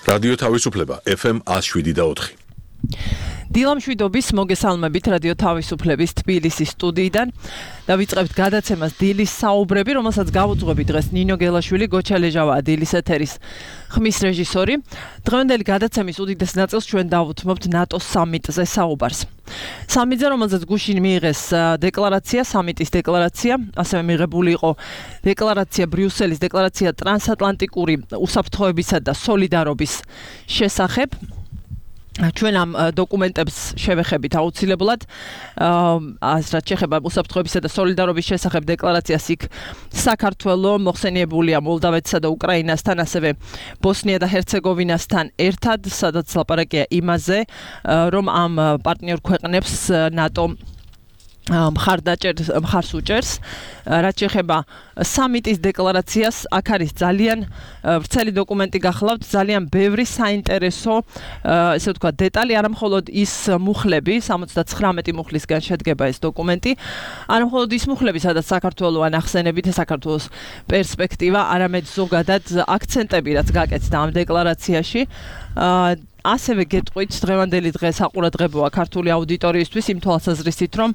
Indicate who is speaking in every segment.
Speaker 1: რადიო თავისუფლება FM 107.4.
Speaker 2: დილამშვიდობის მოგესალმებით რადიო თავისუფლების თბილისის სტუდიიდან. დავიწყებთ გადაცემას დილის საუბრები, რომელსაც გავუძღვები დღეს ნინო გელაშვილი, გოჩა ლეჟავაა დილის ეთერის ხმის რეჟისორი. დღევანდელი გადაცემის უდიდეს ნაწილს ჩვენ დავუთმობთ ნატოს სამიტზე საუბარს. სამიტზე, რომელზეც გუშინ მიიღეს დეკლარაცია, სამიტის დეკლარაცია, ასევე მიღებული იყო დეკლარაცია ბრიუსელის დეკლარაცია ტრანსატლანტიკური უსაფრთხოებისა და სოლიდარობის შესახებ. ჩვენ ამ დოკუმენტებს შევეხებით აუცილებლად რაც შეეხება უსაფრთხოებისა და სოლიდარობის შესახებ დეკლარაციას იქ საქართველო მოხსენიებულია მოლდავეთსა და უკრაინასთან, ასევე ბოსნია და ჰერცეგოვინასთან ერთად, სადაც ლაპარაკია იმაზე, რომ ამ პარტნიორ ქვეყნებს ნატო მხარს უჭერს. რაც შეეხება სამიტის დეკლარაციას, აქ არის ძალიან ვრცელი დოკუმენტი გახლავთ, ძალიან ბევრი საინტერესო, ესე ვთქვათ, დეტალი, არა მხოლოდ ის მუხლები, 79 მუხლისგან შედგება ეს დოკუმენტი, არა მხოლოდ ის მუხლები, სადაც საქართველო ანახსენებით საქართველოს პერსპექტივა, არამედ ზოგადად აქცენტები, რაც გაკეთდა ამ დეკლარაციაში. ასევე გეტყვით დღევანდელი დღე საყურადღებოა ქართული აუდიტორიისთვის იმ თვალსაზრისით, რომ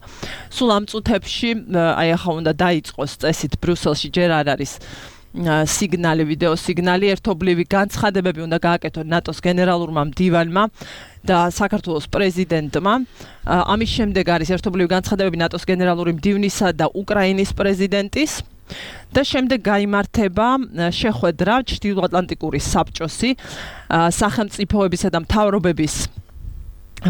Speaker 2: სულ ამ წუთებში აი ახლა უნდა დაიწყოს წესით ბრიუსელში ჯერ არ არის სიგნალი, ვიდეო სიგნალი, ერთობლივი განცხადებები უნდა გააკეთონ ნატოს გენერალურმა მდივანმა და საქართველოს პრეზიდენტმა. ამის შემდეგ არის ერთობლივი განცხადებები ნატოს გენერალური მდივნისა და უკრაინის პრეზიდენტის. და შემდეგ გაიმართება შეხვედრა ჩრდილოატლანტიკური საბჭოსი სახელმწიფოებისა და მთავრობების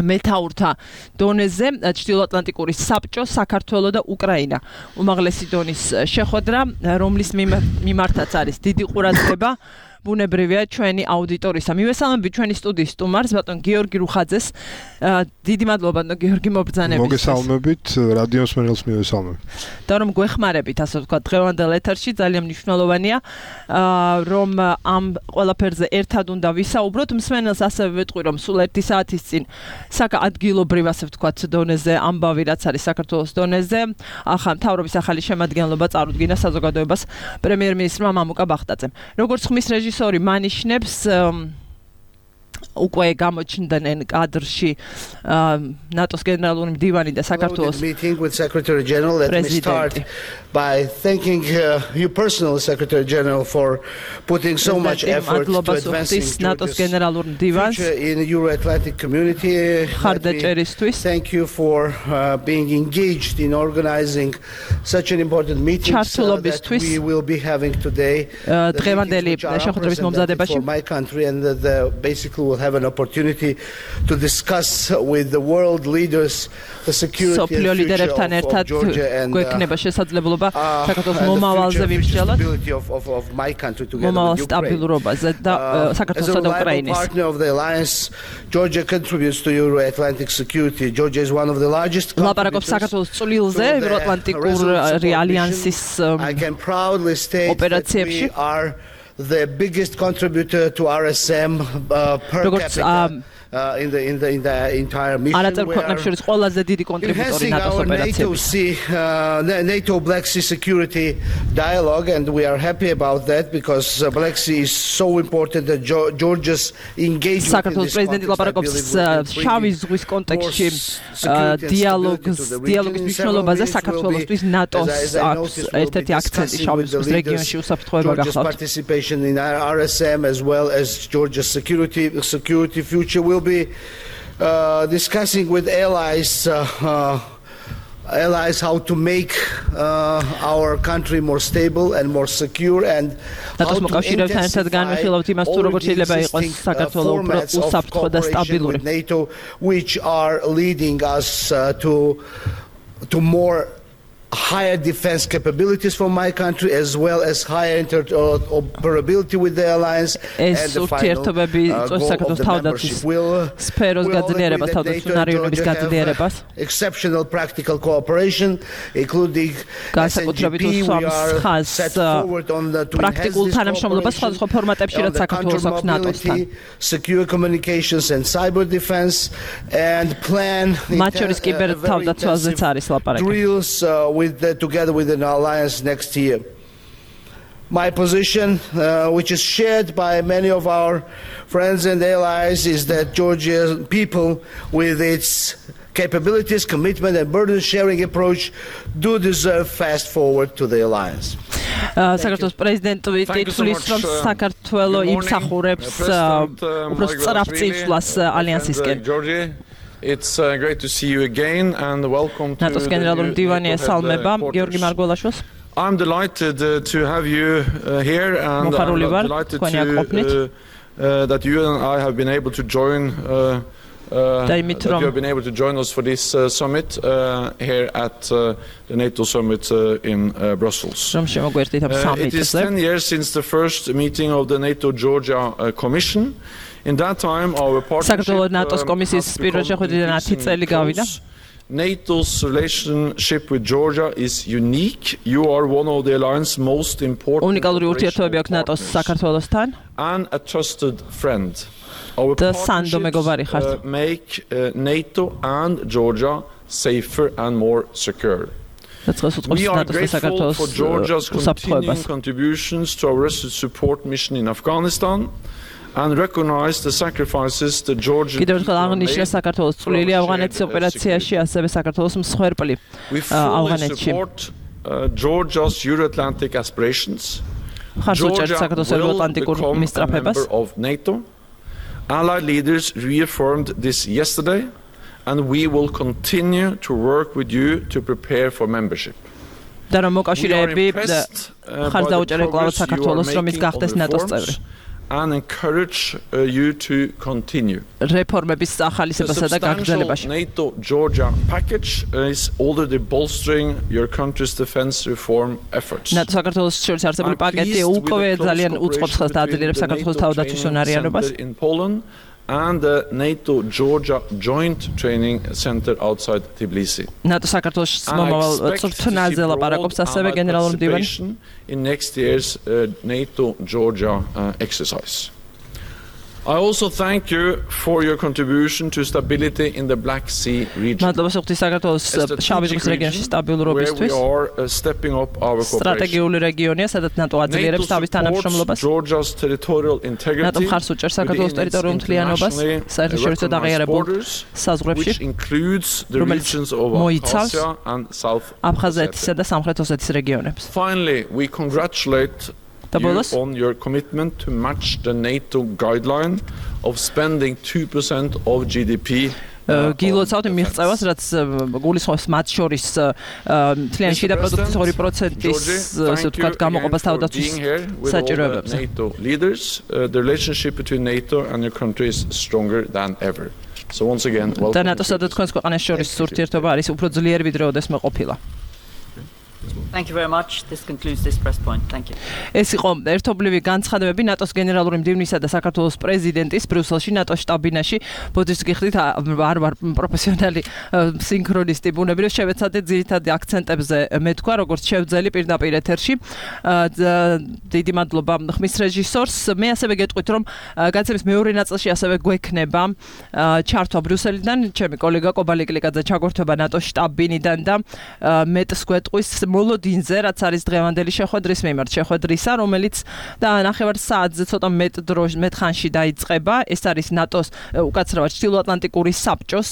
Speaker 2: მეთაურთა დონეზე. ჩრდილოატლანტიკური საბჭო, საქართველო და უკრაინა უმაღლესი დონის შეხვედრა, რომლის მიმართაც არის დიდი ყურადღება. ბუნებრივია ჩვენი აუდიტორისა. მივესალმები ჩვენი სტუდიის სტუმარს, ბატონ გიორგი რუხაძეს. დიდი მადლობა ბატონ გიორგი მობრძანებისთვის.
Speaker 3: მოგესალმებით, რადიო მსმენელს მივესალმებ.
Speaker 2: და რომ გვეხმარებით, ასე ვთქვათ, დღევანდელ ეთერში ძალიან მნიშვნელოვანია, რომ ამ ყველაფერზე ერთად უნდა ვისაუბროთ. მსმენელს ასევე ვეტყვი, რომ სულ 1 საათის წინ ადგილობრივ, ასე ვთქვათ, დონეზე ამბავი, რაც არის საქართველოს დონეზე, მთავრობის ახალი შემადგენლობა წარუდგინა საზოგადოებას პრემიერ-მინისტრმა მამუკა ბახტაძემ. როგორც ხმის რეჟისორი მანიშნებს, უკვე გამოჩნდნენ კადრში ნატოს გენერალური მდივანი და საქართველოს პრეზიდენტი.
Speaker 4: By thanking you personally, Secretary General, for putting so much effort to advancing
Speaker 2: NATO's გენერალურ მდივანს
Speaker 4: in the Euro-Atlantic community. Thank you for being engaged in organizing such an important meeting that we will be having today.
Speaker 2: დღევანდელი შეხვედრების მომზადებაში
Speaker 4: for my country, and basically we'll have an opportunity to discuss with the world leaders the security and future of Georgia and
Speaker 2: საქართველოს მომავალზე ვიმსჯელოთ,
Speaker 4: of my country together
Speaker 2: მომავალ
Speaker 4: with
Speaker 2: სტაბილურობაზე და საქართველოსა და უკრაინის.
Speaker 4: As a partner of the alliance, Georgia contributes to Euro-Atlantic security. Georgia is one of the largest
Speaker 2: ლაპარაკობს საქართველოს წვლილზე ევროატლანტიკური ალიანსის ოპერაციებში.
Speaker 4: The biggest contributor to RSM per capita in the entire mission. Enhancing our NATO Black Sea security dialogue, and we are happy about that because Black Sea is so important that Georgia's engagement in this
Speaker 2: შავი ზღვის კონტექსტში დიალოგის მნიშვნელობაზე საქართველოსთვის ნატოს აქვს ერთ-ერთი აქცენტი შავი ზღვის რეგიონში უსაფრთხოება გახლავთ.
Speaker 4: Participation in RSM as well as Georgia's security future will be discussing with allies how to make our country more stable and more secure, and how to intensify all the formats of cooperation with NATO, which are leading us to more higher defense capabilities for my country, as well as higher interoperability with the alliance, and the final goal of the membership will have exceptional practical cooperation, including SNGP. We are set forward on to enhance this cooperation on the counter-mobility, secure communications and cyber defense, and plan drills together with an alliance next year. My position, which is shared by many of our friends and allies, is that Georgia's people, with its capabilities, commitment and burden-sharing approach, do deserve fast forward to the alliance.
Speaker 2: საქართველოს პრეზიდენტი თვითონ რომ საქართველო იმსახურებს უფრო სწრაფ წინსვლას ალიანსისკენ.
Speaker 5: It's great to see you again and welcome to
Speaker 2: ნატოს გენერალური მდივანი ესალმება გიორგი მარგველაშვილს.
Speaker 5: I'm delighted to have you here and I'm delighted that you and I have been able to join that you have been able to join us for this summit here at the NATO summit in Brussels. It is 10 years since the first meeting of the NATO-Georgia Commission. In that time, our partnership has become close. NATO's relationship with Georgia is unique. You are one of the alliance's most important and a trusted friend. Our partnerships make NATO and Georgia safer and more secure. We are grateful for Georgia's continuing contributions to our support mission in Afghanistan and recognize the sacrifices the Georgian people made. We fully support Georgia's Euro-Atlantic aspirations. Georgia will become a member of NATO. Allied leaders reaffirmed this yesterday, and we will continue to work with you to prepare for membership. We are impressed by the progress you are making on reforms and encourage you to continue. The substantial NATO-Georgia package is already bolstering your country's defense reform efforts. I'm pleased with the close cooperation between the NATO Training Center in Poland and the NATO-Georgia Joint Training Center outside Tbilisi. And I expect to see broad participation in next year's NATO-Georgia exercise. I also thank you for your contribution to stability in the Black Sea region. As the strategic region where we are stepping up our cooperation. NATO supports Georgia's territorial integrity within its internationally recognized borders, which includes the regions of Abkhazia and South Ossetia. Finally, we congratulate you on your commitment to match the NATO guideline of spending 2% of GDP.
Speaker 2: გილოცავთ მიღწევას, რაც გულისხმობს მათ შორის მთლიანი შიდა პროდუქტის 2%-ის, ასე ვთქვათ, გამოყოფას თავდაცვის საჭიროებებზე.
Speaker 5: NATO leaders, the relationship between NATO and your country is stronger than ever. So once again, welcome.
Speaker 2: და ნატოსა და თქვენს ქვეყანას შორის ურთიერთობა არის უფრო ძლიერი ვიდრე ოდესმე ყოფილა.
Speaker 6: Thank you very much. This concludes this press point. Thank you.
Speaker 2: ეს იყო ერთობლივი განცხადებები ნატოს გენერალური მდივნისა და საქართველოს პრეზიდენტის ბრიუსელში ნატოს შტაბ-ბინაში. ბოდიშს გიხდით, არ ვარ პროფესიონალი სინქრონისტი, ბუნებრივ შევეცადეთ ძირითადი აქცენტებზე მეთქვა, როგორც შევძელი პირდაპირ ეთერში. დიდი მადლობა ხმის რეჟისორს. მე ასევე გეტყვით, რომ განცემის მეორე ნაწილში ასევე გვექნება ჩართვა ბრიუსელიდან, ჩემი კოლეგა კობალიკლიკაძე ჩაგვერთვება ნატოს შტაბ-ბინიდან და მეტს გვეტყვის მოლოდინზე, რაც არის დღევანდელი შეხვედრის მიმართ შეხვედრისა, რომელიც და ნახევარ საათზე ცოტა მეტ ხანში დაიწყება. ეს არის ნატოს უკაცრავად ჩრდილოატლანტიკური საბჭოს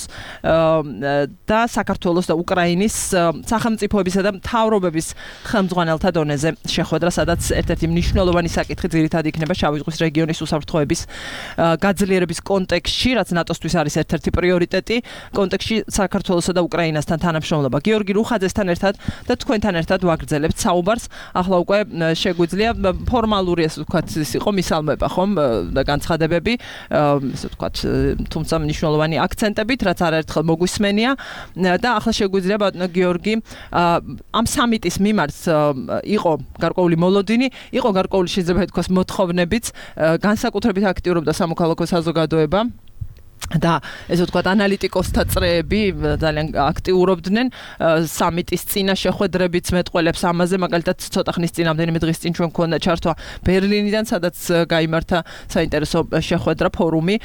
Speaker 2: და საქართველოს და უკრაინის სახელმწიფოებისა და მთავრობების ხელმძღვანელთა დონეზე შეხვედრა, სადაც ერთ-ერთი მნიშვნელოვანი საკითხი ძირითადად იქნება შავი ზღვის რეგიონის უსაფრთხოების გაძლიერების კონტექსტში, რაც ნატოსთვის არის ერთ-ერთი პრიორიტეტი კონტექსტში საქართველოსა და უკრაინასთან თანამშრომლობა. გიორგი რუხაძესთან ერთად და თქვენთან ერთად ვაგრძელებთ საუბარს. ახლა უკვე შეგვიძლია ფორმალური, ასე ვთქვათ, ის იყო მისალმება, ხომ, და განცხადებები, ასე ვთქვათ, თუმცა მნიშვნელოვანი აქცენტებით, რაც არაერთხელ მოგვისმენია და ახლა შეგვიძლია ბატონო გიორგი ამ სამიტის მიმართ იყო გარკვეული მოლოდინი, იყო გარკვეული შეიძლება ითქვას მოთხოვნებიც, განსაკუთრებით აქტიურობდა სამოქალაქო საზოგადოება. და ესე ვთქვათ ანალიტიკოსთა წრეები ძალიან აქტიურობდნენ სამიტის წინა შეხვედრებიც მეტყველებს ამაზე მაგალითად ცოტა ხნის წინ ამდენიმე დღის წინ ჩვენ გქონდა ჩართვა ბერლინიდან სადაც გაიმართა საინტერესო შეხვედრა ფორუმი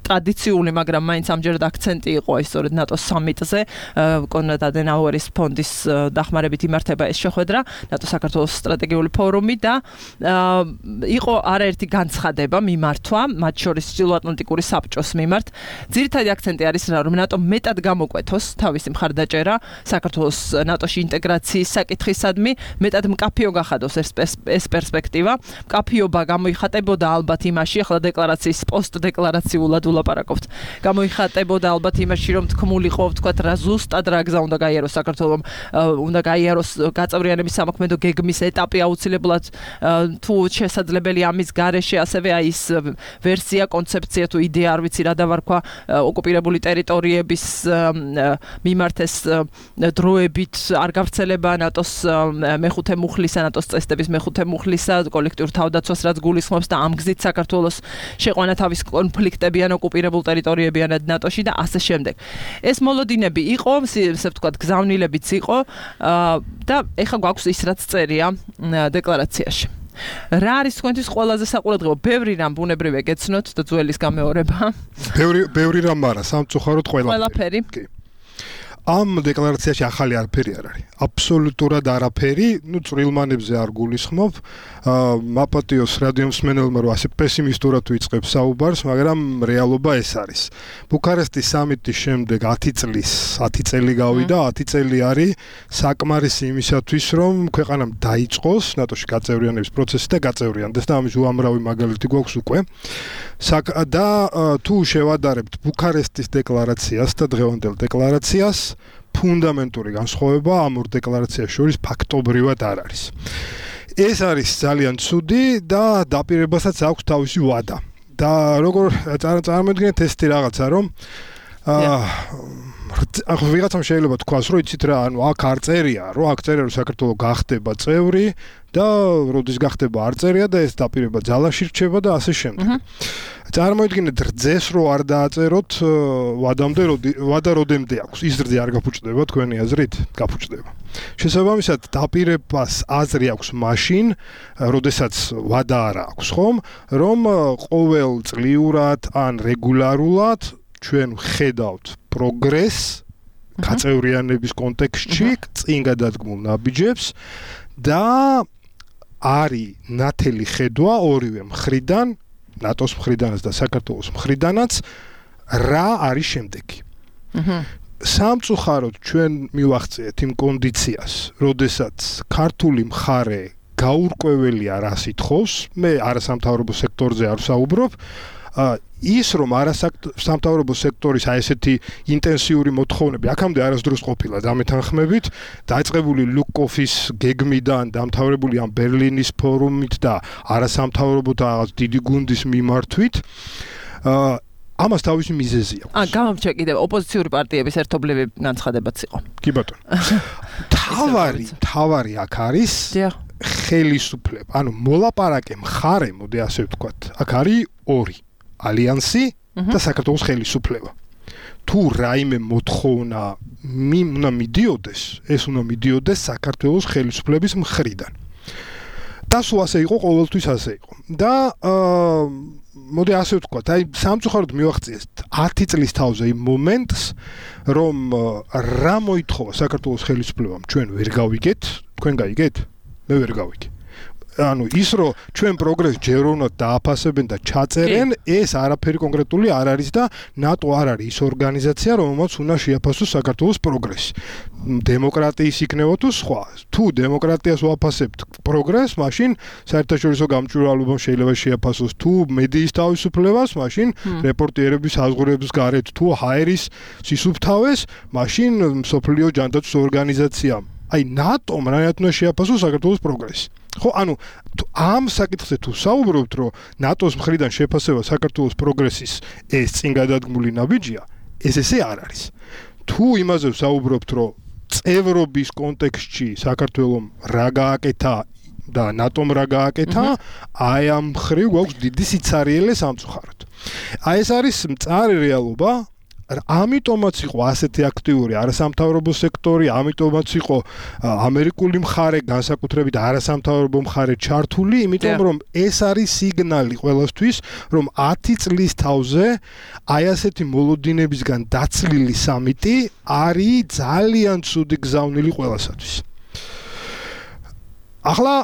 Speaker 2: ტრადიციული მაგრამ მაინც ამჯერად აქცენტი იყო ეს სწორედ ნატოს სამიტზე კონრად ადენაუერის ფონდის დახმარებით იმართება ეს შეხვედრა ნატოს საქართველოს სტრატეგიული ფორუმი და იყო არაერთი განცხადება მიმართვა მათ შორის ჩრდილოატლანტიკური საბჭოს მიმართ ძირითადი აქცენტი არის რომ ნატო მეტად გამოკვეთოს თავისი მხარდაჭერა საქართველოს ნატოში ინტეგრაციის საკითხისადმი მეტად მკაფიო გახადოს ეს პერსპექტივა მკაფიობა გამოიხატებოდა ალბათ იმაში ახლა დეკლარაციის პოსტდეკლარაციულად ულაპარაკობთ გამოიხატებოდა ალბათ იმაში რომ თქმულიყო ვთქვათ რა ზუსტად რა გზა უნდა გაიაროს საქართველოს უნდა გაიაროს გაწევრიანების სამოქმედო გეგმის ეტაპი აუცილებლად თუ შესაძლებელი ამის გარეშე ასევე აი ის ვერსია კონცეფცია თუ იდეა არ ვიცი რა დავარქვა ოკუპირებული ტერიტორიების მიმართ ეს დროებით არ გავრცელება ნატოს მეხუთე მუხლისა ნატოს წესდების მეხუთე მუხლისა კოლექტიურ თავდაცვას რაც გულისხმობს და ამ გზით საქართველოს შეყვანა თავის კონფლიქტები ან ოკუპირებულ ტერიტორიებიანად ნატოში და ასე შემდეგ. ეს მოლოდინები იყო, ესე ვთქვათ, გზავნილებიც იყო და ეხლა გვაქვს ის რაც წერია დეკლარაციაში. რა არის თქვენთვის ყველაზე საყურადღებო? ბევრი რამ ბუნებრივია გეცნოთ და ძველის გამეორება.
Speaker 3: ბევრი რამ არა, სამწუხაროდ
Speaker 2: ყველაფერი.
Speaker 3: ამ დეკლარაციაში ახალი არაფერი არ არის. აბსოლუტურად არაფერი, წვრილმანებზე არ გულისხმობ. მაპატიოს რადიომსმენელმა რომ ასე პესიმისტურად ვიწყებს საუბარს, მაგრამ რეალობა ეს არის. ბუქარესტის სამიტის შემდეგ 10 წელი გავიდა, 10 წელი არის საკმარისი იმისათვის, რომ ქვეყანამ დაიწყოს ნატოში გაწევრიანების პროცესი და გაწევრიანდეს და ამის უამრავი მაგალითი გვაქვს უკვე. და თუ შევადარებთ ბუქარესტის დეკლარაციას და დღევანდელ დეკლარაციას, ფუნდამენტური განსხვავება ამ ორ დეკლარაციას შორის ფაქტობრივად არ არის. ეს არის ძალიან ცუდი და დაპირებასაც აქვს თავისი ვადა. და როგორ წარმოიდგინეთ ეს რაღაცა, რომ ვიღაცამ შეიძლება თქვას, რომ იცით რა, ანუ აქ არ წერია, რომ აქ წერია, რომ საქართველო გახდება წევრი და როდის გახდება არ წერია და ეს დაპირება ძალაში რჩება და ასე შემდეგ. წარმოიდგინეთ რძეს რო არ დააწეროთ ვადა როდემდე აქვს. ის რძე არ გაფუჭდება თქვენი აზრით? გაფუჭდება. შესაბამისად დაპირებას აზრი აქვს მაშინ, როდესაც ვადა არ აქვს, ხომ? რომ ყოველ წლიურად ან რეგულარულად ჩვენ ხედავთ პროგრესს გაწევრიანების კონტექსტში, წინ გადადგმულ ნაბიჯებს და არის ნათელი ხედვა ორივე მხრიდან, ნატოს მხრიდანაც და საქართველოს მხრიდანაც, რა არის შემდეგი. სამწუხაროდ ჩვენ მივახციეთ იმ კონდიციას, როდესაც ქართული მხარე გაურკვეველია რას ითხოვს, მე არასამთავრობო სექტორზე არ ვსაუბრობ, ის რომ არასამთავრობო სექტორის აი ესეთი ინტენსიური მოთხოვნები აქამდე არასდროს ყოფილა დამეთანხმებით, დაიწყებული ლუკოფის გეგმიდან დამთავრებული ამ ბერლინის ფორუმით და არასამთავრობო და დიდი გუნდის მიმართვით, ამას თავისი მიზეზი აქვს.
Speaker 2: გამომჩა კიდევ ოპოზიციური პარტიების ერთობლივი განცხადებაც იყო.
Speaker 3: კი ბატონო. თავარი აქ არის ხელისუფლება, ანუ მოლაპარაკე მხარე, მოდი ასე ვთქვათ, აქ არის ორი. ალიანსი და საქართველოს ხელისუფლება. თუ რაიმე მოთხოვნა უნდა მიდიოდეს, ეს უნდა მიდიოდეს საქართველოს ხელისუფლების მხრიდან. და სულ ასე იყო, ყოველთვის ასე იყო. და მოდი ასე ვთქვათ, აი სამწუხაროდ მივახციეთ 10 წლის თავზე იმ მომენტს, რომ რა მოითხოვა საქართველოს ხელისუფლებამ, ჩვენ ვერ გავიგეთ, თქვენ გაიგეთ? მე ვერ გავიგე. ანუ ის რომ ჩვენ პროგრესს ჯერ უნდა დააფასებენ და ჩაწერენ, ეს არაფერი კონკრეტული არ არის და ნატო არ არის ის ორგანიზაცია, რომელმაც უნდა შეაფასოს საქართველოს პროგრესი. დემოკრატიის იქნება თუ სხვა. თუ დემოკრატიას ვაფასებთ პროგრესს, მაშინ საერთაშორისო გამჭვირვალობამ შეიძლება შეაფასოს, თუ მედიის თავისუფლებას, მაშინ რეპორტიერების საზღვრების გარეთ, თუ ჰაერის სისუფთავეს, მაშინ მსოფლიო ჯანდაცვის ორგანიზაციამ. აი ნატომ რანაირად უნდა შეაფასოს საქართველოს პროგრესი. ხო, ანუ ამ საკითხზე თუ საუბრობთ, რომ ნატოს მხრიდან შეფასება საქართველოს პროგრესის ეს წინ გადადგმული ნაბიჯია, ეს ესე არ არის. თუ იმაზე ვსაუბრობთ, რომ წევრობის კონტექსტში საქართველოს რა გააკეთა და ნატომ რა გააკეთა, აი ამ ხრივ გვაქვს დიდი სიცარიელე სამწუხაროდ. აი ეს არის მწარე რეალობა. ამიტომაც იყო ასეთი აქტიური არასამთავრობო სექტორი, ამიტომაც იყო ამერიკული მხარე, განსაკუთრებით არასამთავრობო მხარე ჩართული, იმიტომ რომ ეს არის სიგნალი ყველასთვის, რომ 10 წლის თავზე აი ასეთი მოლოდინებისგან დაცლილი სამიტი არის ძალიან ცუდი გზავნილი ყველასათვის. ახლა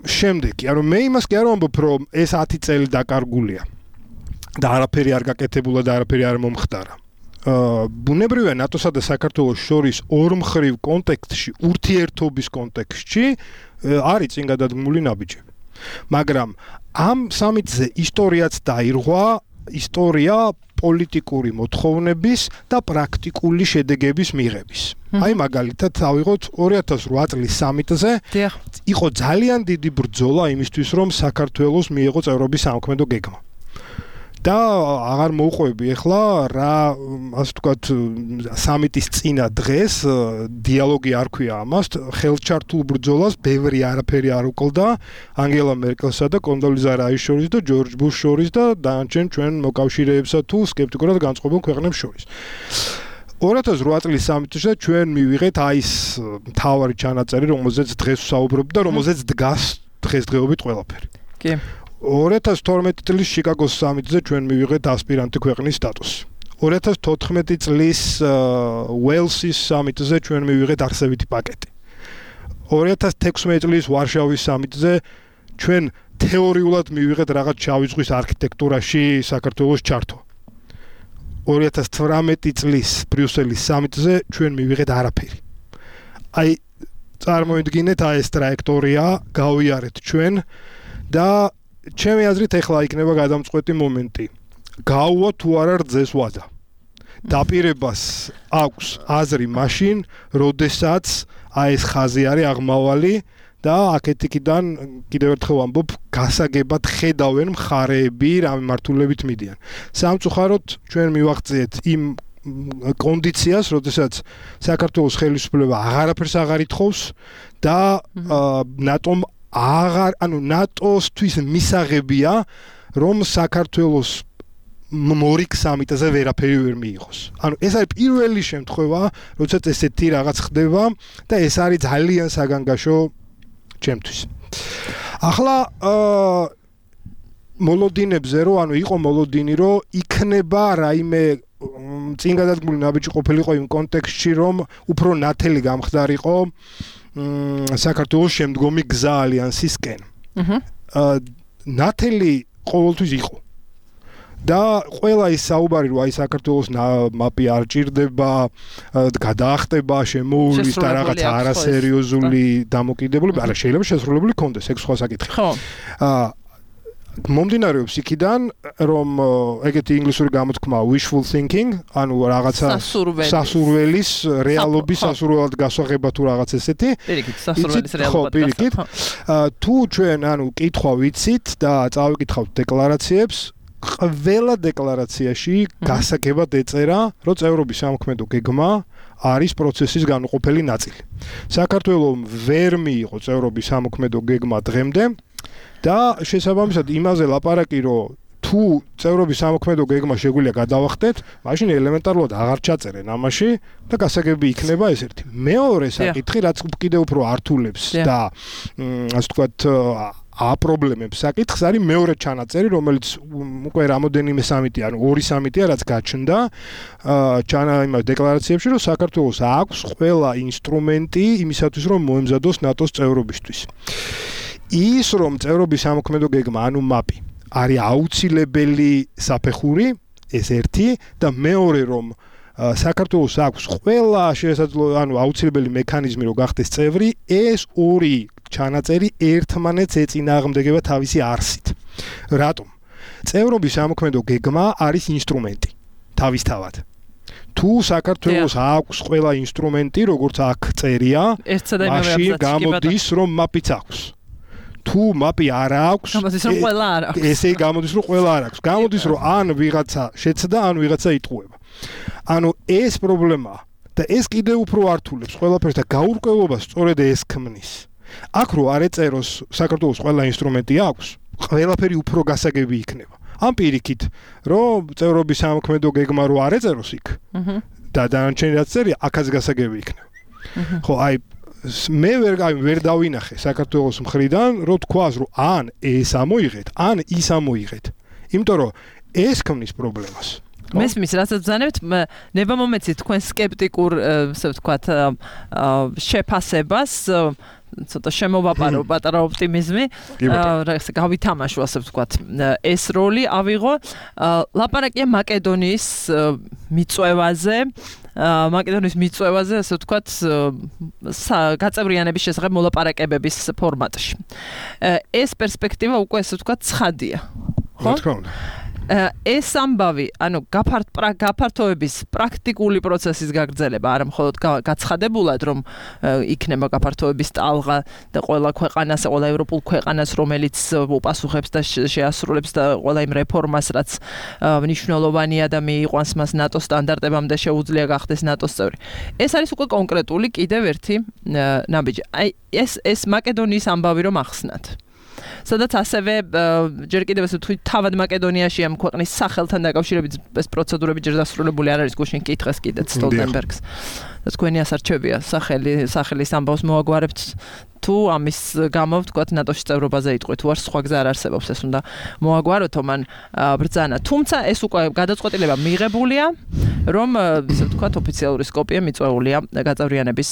Speaker 3: შემდეგი, ანუ მე იმას კი არ ვამბობ, რომ ეს 10 წელი დაკარგულია. და არაფერი არ გაკეთებულა და არაფერი არ მომხდარა. ბუნებრივია ნატოსა და საქართველოს შორის ორმხრივ კონტექსტში, ურთიერთობის კონტექსტში არის წინ გადადგმული ნაბიჯები. მაგრამ ამ სამიტზე ისტორიაც დაირღვა, ისტორია პოლიტიკური მოთხოვნების და პრაქტიკული შედეგების მიღების. აი მაგალითად ავიღოთ 2008 წლის სამიტზე იყო ძალიან დიდი ბრძოლა იმისთვის, რომ საქართველოს მიეღო წევრობის სამოქმედო გეგმა. და აღარ მოუყვები ახლა რა ასე ვთქვათ სამიტის წინა დღეს დიალოგი არ ქვია ამას ხელჩართულ ბრძოლას ბევრი არაფერი არ უკლდა ანგელა მერკელსა და კონდოლიზა რაის შორის და ჯორჯ ბუშ შორის და დანარჩენ ჩვენ მოკავშირეებსა თუ სკეპტიკურად განწყობილ ქვეყნებს შორის 2008 წლის სამიტზე ჩვენ მივიღეთ აი ეს მთავარი ჩანაწერი რომელზეც დღეს ვსაუბრობ და რომელზეც დგას დღესდღეობით ყველაფერი კი 2012 წლის შიკაგოს სამიტზე ჩვენ მივიღეთ ასპირანტი ქვეყნის სტატუსი. 2014 წლის უელსის სამიტზე ჩვენ მივიღეთ არსებითი პაკეტი. 2016 წლის ვარშავის სამიტზე ჩვენ თეორიულად მივიღეთ რაღაც შავი ზღვის არქიტექტურაში საქართველოს ჩართვა. 2018 წლის ბრიუსელის სამიტზე ჩვენ მივიღეთ არაფერი. აი წარმოიდგინეთ აი ეს ტრაექტორია გავიარეთ ჩვენ და ჩემი აზრით ახლა იქნება გადამწყვეტი მომენტი. გაუვა თუ არა რძეს ვადა. დაპირებას აქვს აზრი მაშინ, როდესაც აი ეს ხაზი არის აღმავალი და აქეთ-იქიდან კიდევ ერთხელ ვამბობ, გასაგებად ხედავენ მხარეები რა მიმართულებით მიდიან. სამწუხაროდ ჩვენ მივაღწიეთ იმ კონდიციას, როდესაც საქართველოს ხელისუფლება აღარაფერს აღარ ითხოვს და ნატომ ანუ ნატოსთვის მისაღებია რომ საქართველოს მორიგ სამიტზე ვერაფერი ვერ მიიღოს. ანუ ეს არის პირველი შემთხვევა, როდესაც ესეთი რაღაც ხდება და ეს არის ძალიან საგანგაშო ჩემთვის. ახლა მოლოდინებზე რომ ანუ იყო მოლოდინი რომ იქნება რაიმე წინ გადადგმული ნაბიჯი ყოფილიყო იმ კონტექსტში რომ უფრო ნათელი გამხდარიყო საქართველოს შემდგომი გზა ალიანსისკენ. ნათელი ყოველთვის იყო. და ყველა ის საუბარი რომ აი საქართველოს მაპი არ ჭირდება, გადაახტება, შემოუვლის და რაღაც არასერიოზული დამოკიდებულება, არა შეიძლება შესრულებული კონდეს, ეგ სხვა საკითხი. ხო. მომდინარეობს იქიდან რომ ეგეთი ინგლისური გამოთქმა wishful thinking, ანუ რაღაცა სასურველის რეალობის სასურველად გასაღება თუ რაღაც ესეთი. პირიქით, სასურველის რეალობად გასაღება. თუ ჩვენ ანუ კითხვა ვიცით და წავიკითხავთ დეკლარაციებს, ყველა დეკლარაციაში გასაგებად ეწერა, რომ წევრობის სამოქმედო გეგმა არის პროცესის განუყოფელი ნაწილი. საქართველოს ვერ მიიღო წევრობის სამოქმედო გეგმა დღემდე და შესაბამისად იმაზე ლაპარაკი რომ თუ წევრობის სამოქმედო გეგმა შეგვიძლია გადავახტეთ, მაშინ ელემენტარულად აღარ ჩაწერენ ამაში და გასაგები იქნება ეს ერთი. მეორე საკითხი, რაც კიდევ უფრო ართულებს და ასე ვთქვათ აპრობლემებს საკითხს არის მეორე ჩანაწერი, რომელიც უკვე რამოდენიმე სამიტი, ანუ ორი სამიტია, რაც გაჩნდა იმ დეკლარაციებში, რომ საქართველოს აქვს ყველა ინსტრუმენტი იმისათვის, რომ მოემზადოს ნატოს წევრობისთვის. ის რომ წევრობის სამოქმედო გეგმა, ანუ მაპი, არის აუცილებელი საფეხური, ეს ერთი და მეორე რომ საქართველოს აქვს ყველა შესაძლო, ანუ აუცილებელი მექანიზმი რომ გახდეს წევრი, ეს ორი ჩანაწერი ერთმანეთს ეწინააღმდეგება თავისი არსით. რატომ? წევრობის სამოქმედო გეგმა არის ინსტრუმენტი თავისთავად. თუ საქართველოს აქვს ყველა ინსტრუმენტი, როგორც აქ წერია, მაშინ გამოდის რომ მაპიც აქვს. თუ მაპი არ აქვს, ესე გამოდის რომ ყველა არ აქვს. გამოდის რომ ან ვიღაცა შეცდა, ან ვიღაცა იტყუება. ანუ ეს პრობლემაა და ეს კიდევ უფრო ართულებს ყველაფერს და გაურკვევობას სწორედ ეს ქმნის. აქ რო არ ეწეროს საქართველოს ყველა ინსტრუმენტი აქვს, ყველაფერი უფრო გასაგები იქნება. ამ პირიქით, რომ წევრობის სამქმედო გეგმა რო არ ეწეროს იქ და დანარჩენი რაც წერია, აქაც გასაგები იქნება. ხო, აი მე ვერ დავინახე საქართველოს მხრიდან, რომ თქვას, რომ ან ეს ამოიღეთ, ან ის ამოიღეთ. იმიტომ რომ ეს ქმნის პრობლემას.
Speaker 2: მესმის, რასაც ბრძანებთ, ნება მომეცით თქვენ სკეპტიკურ, ასე ვთქვათ, შეფასებას, ცოტა შემოვაპარო პატარა ოპტიმიზმი, გავითამაშო, ასე ვთქვათ, ეს როლი ავიღო. ლაპარაკია მაკედონიის მიწვევაზე, ასე ვთქვათ, გაწევრიანების შესახებ მოლაპარაკებების ფორმატში. ეს პერსპექტივა უკვე, ასე ვთქვათ, ცხადია.
Speaker 3: ხო? თქო.
Speaker 2: ეს ამბავი, ანუ გაფართოების პრაქტიკული პროცესის გაგრძელება, არა მხოლოდ გაცხადებულად, რომ იქნება გაფართოების ტალღა და ყველა ქვეყანას, ყველა ევროპულ ქვეყანას, რომელიც უპასუხებს და შეასრულებს და ყველა იმ რეფორმას, რაც მნიშვნელოვანია და მიიყვანს მას ნატოს სტანდარტებამდე შეუძლია გახდეს ნატოს წევრი. ეს არის უკვე კონკრეტული კიდევ ერთი ნაბიჯი. აი ეს მაკედონიის ამბავი რომ ახსნათ. სადაც ასევე ჯერ კიდევ ასე თუ თავად მაკედონიაში ამ ქვეყნის სახელთან დაკავშირებით ეს პროცედურები ჯერ დასრულებული არ არის, გუშინ კითხეს კიდეც სტოლტენბერგს. და თქვენი ასარჩევია სახელის ამბავს მოაგვარებთ თუ ამის გამო ვთქვათ ნატოში წევრობაზე იტყვით, თუ არ სხვა გზა არ არსებობს, ეს უნდა მოაგვაროთ მან ბრძანა. თუმცა ეს უკვე გადაწყვეტილება მიღებულია, რომ ისე ვთქვათ ოფიციალური სკოპია მიწვეულია გაწევრიანების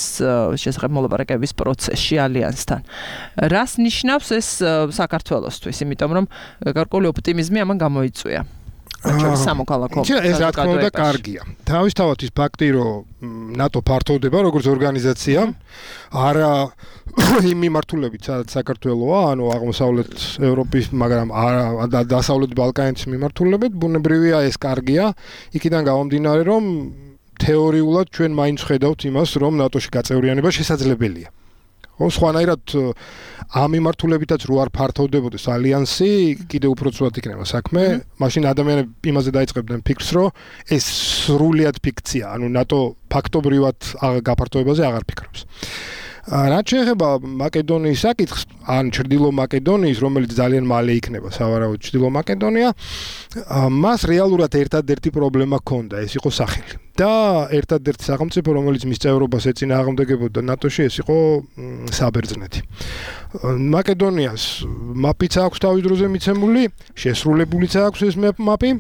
Speaker 2: შესახებ მოლაპარაკების პროცესში ალიანსთან. რას ნიშნავს ეს საქართველოსთვის, იმიტომ რომ გარკვეული ოპტიმიზმი ამან გამოიწვია. სამოქალაქო.
Speaker 3: ეს რა თქმა უნდა კარგია. თავისთავად ის ფაქტი, რომ ნატო ფართოვდება როგორც ორგანიზაცია, არა იმ მიმართულებით, სადაც საქართველოა, ანუ აღმოსავლეთ ევროპის, მაგრამ არა დასავლეთ ბალკანეთის მიმართულებით, ბუნებრივია ეს კარგია. იქიდან გამომდინარე, რომ თეორიულად ჩვენ მაინც ხედავთ იმას, რომ ნატოში გაწევრიანება შესაძლებელია. სხვანაირად ამ მიმართულებითაც რო არ ფართოვდებოდეს ალიანსი, კიდევ უფრო ცუდად იქნება საქმე. მაშინ ადამიანები იმაზე დაიწყებდნენ ფიქრს, რომ ეს სრულიად ფიქცია, ანუ ნატო ფაქტობრივად გაფართოებაზე აღარ ფიქრობს. რაც შეეხება მაკედონიის საკითხს, ან ჩრდილო მაკედონიის, რომელიც ძალიან მალე იქნება სავარაუდოდ ჩრდილო მაკედონია, მას რეალურად ერთადერთი პრობლემა ჰქონდა, ეს იყო სახელი. და ერთადერთი სახელმწიფო, რომელიც მის წევრობას ეწინააღმდეგებოდა ნატოში, ეს იყო საბერძნეთი. მაკედონიას მაპიც აქვს თავის დროზე მიცემული, შესრულებულიც აქვს ეს მაპი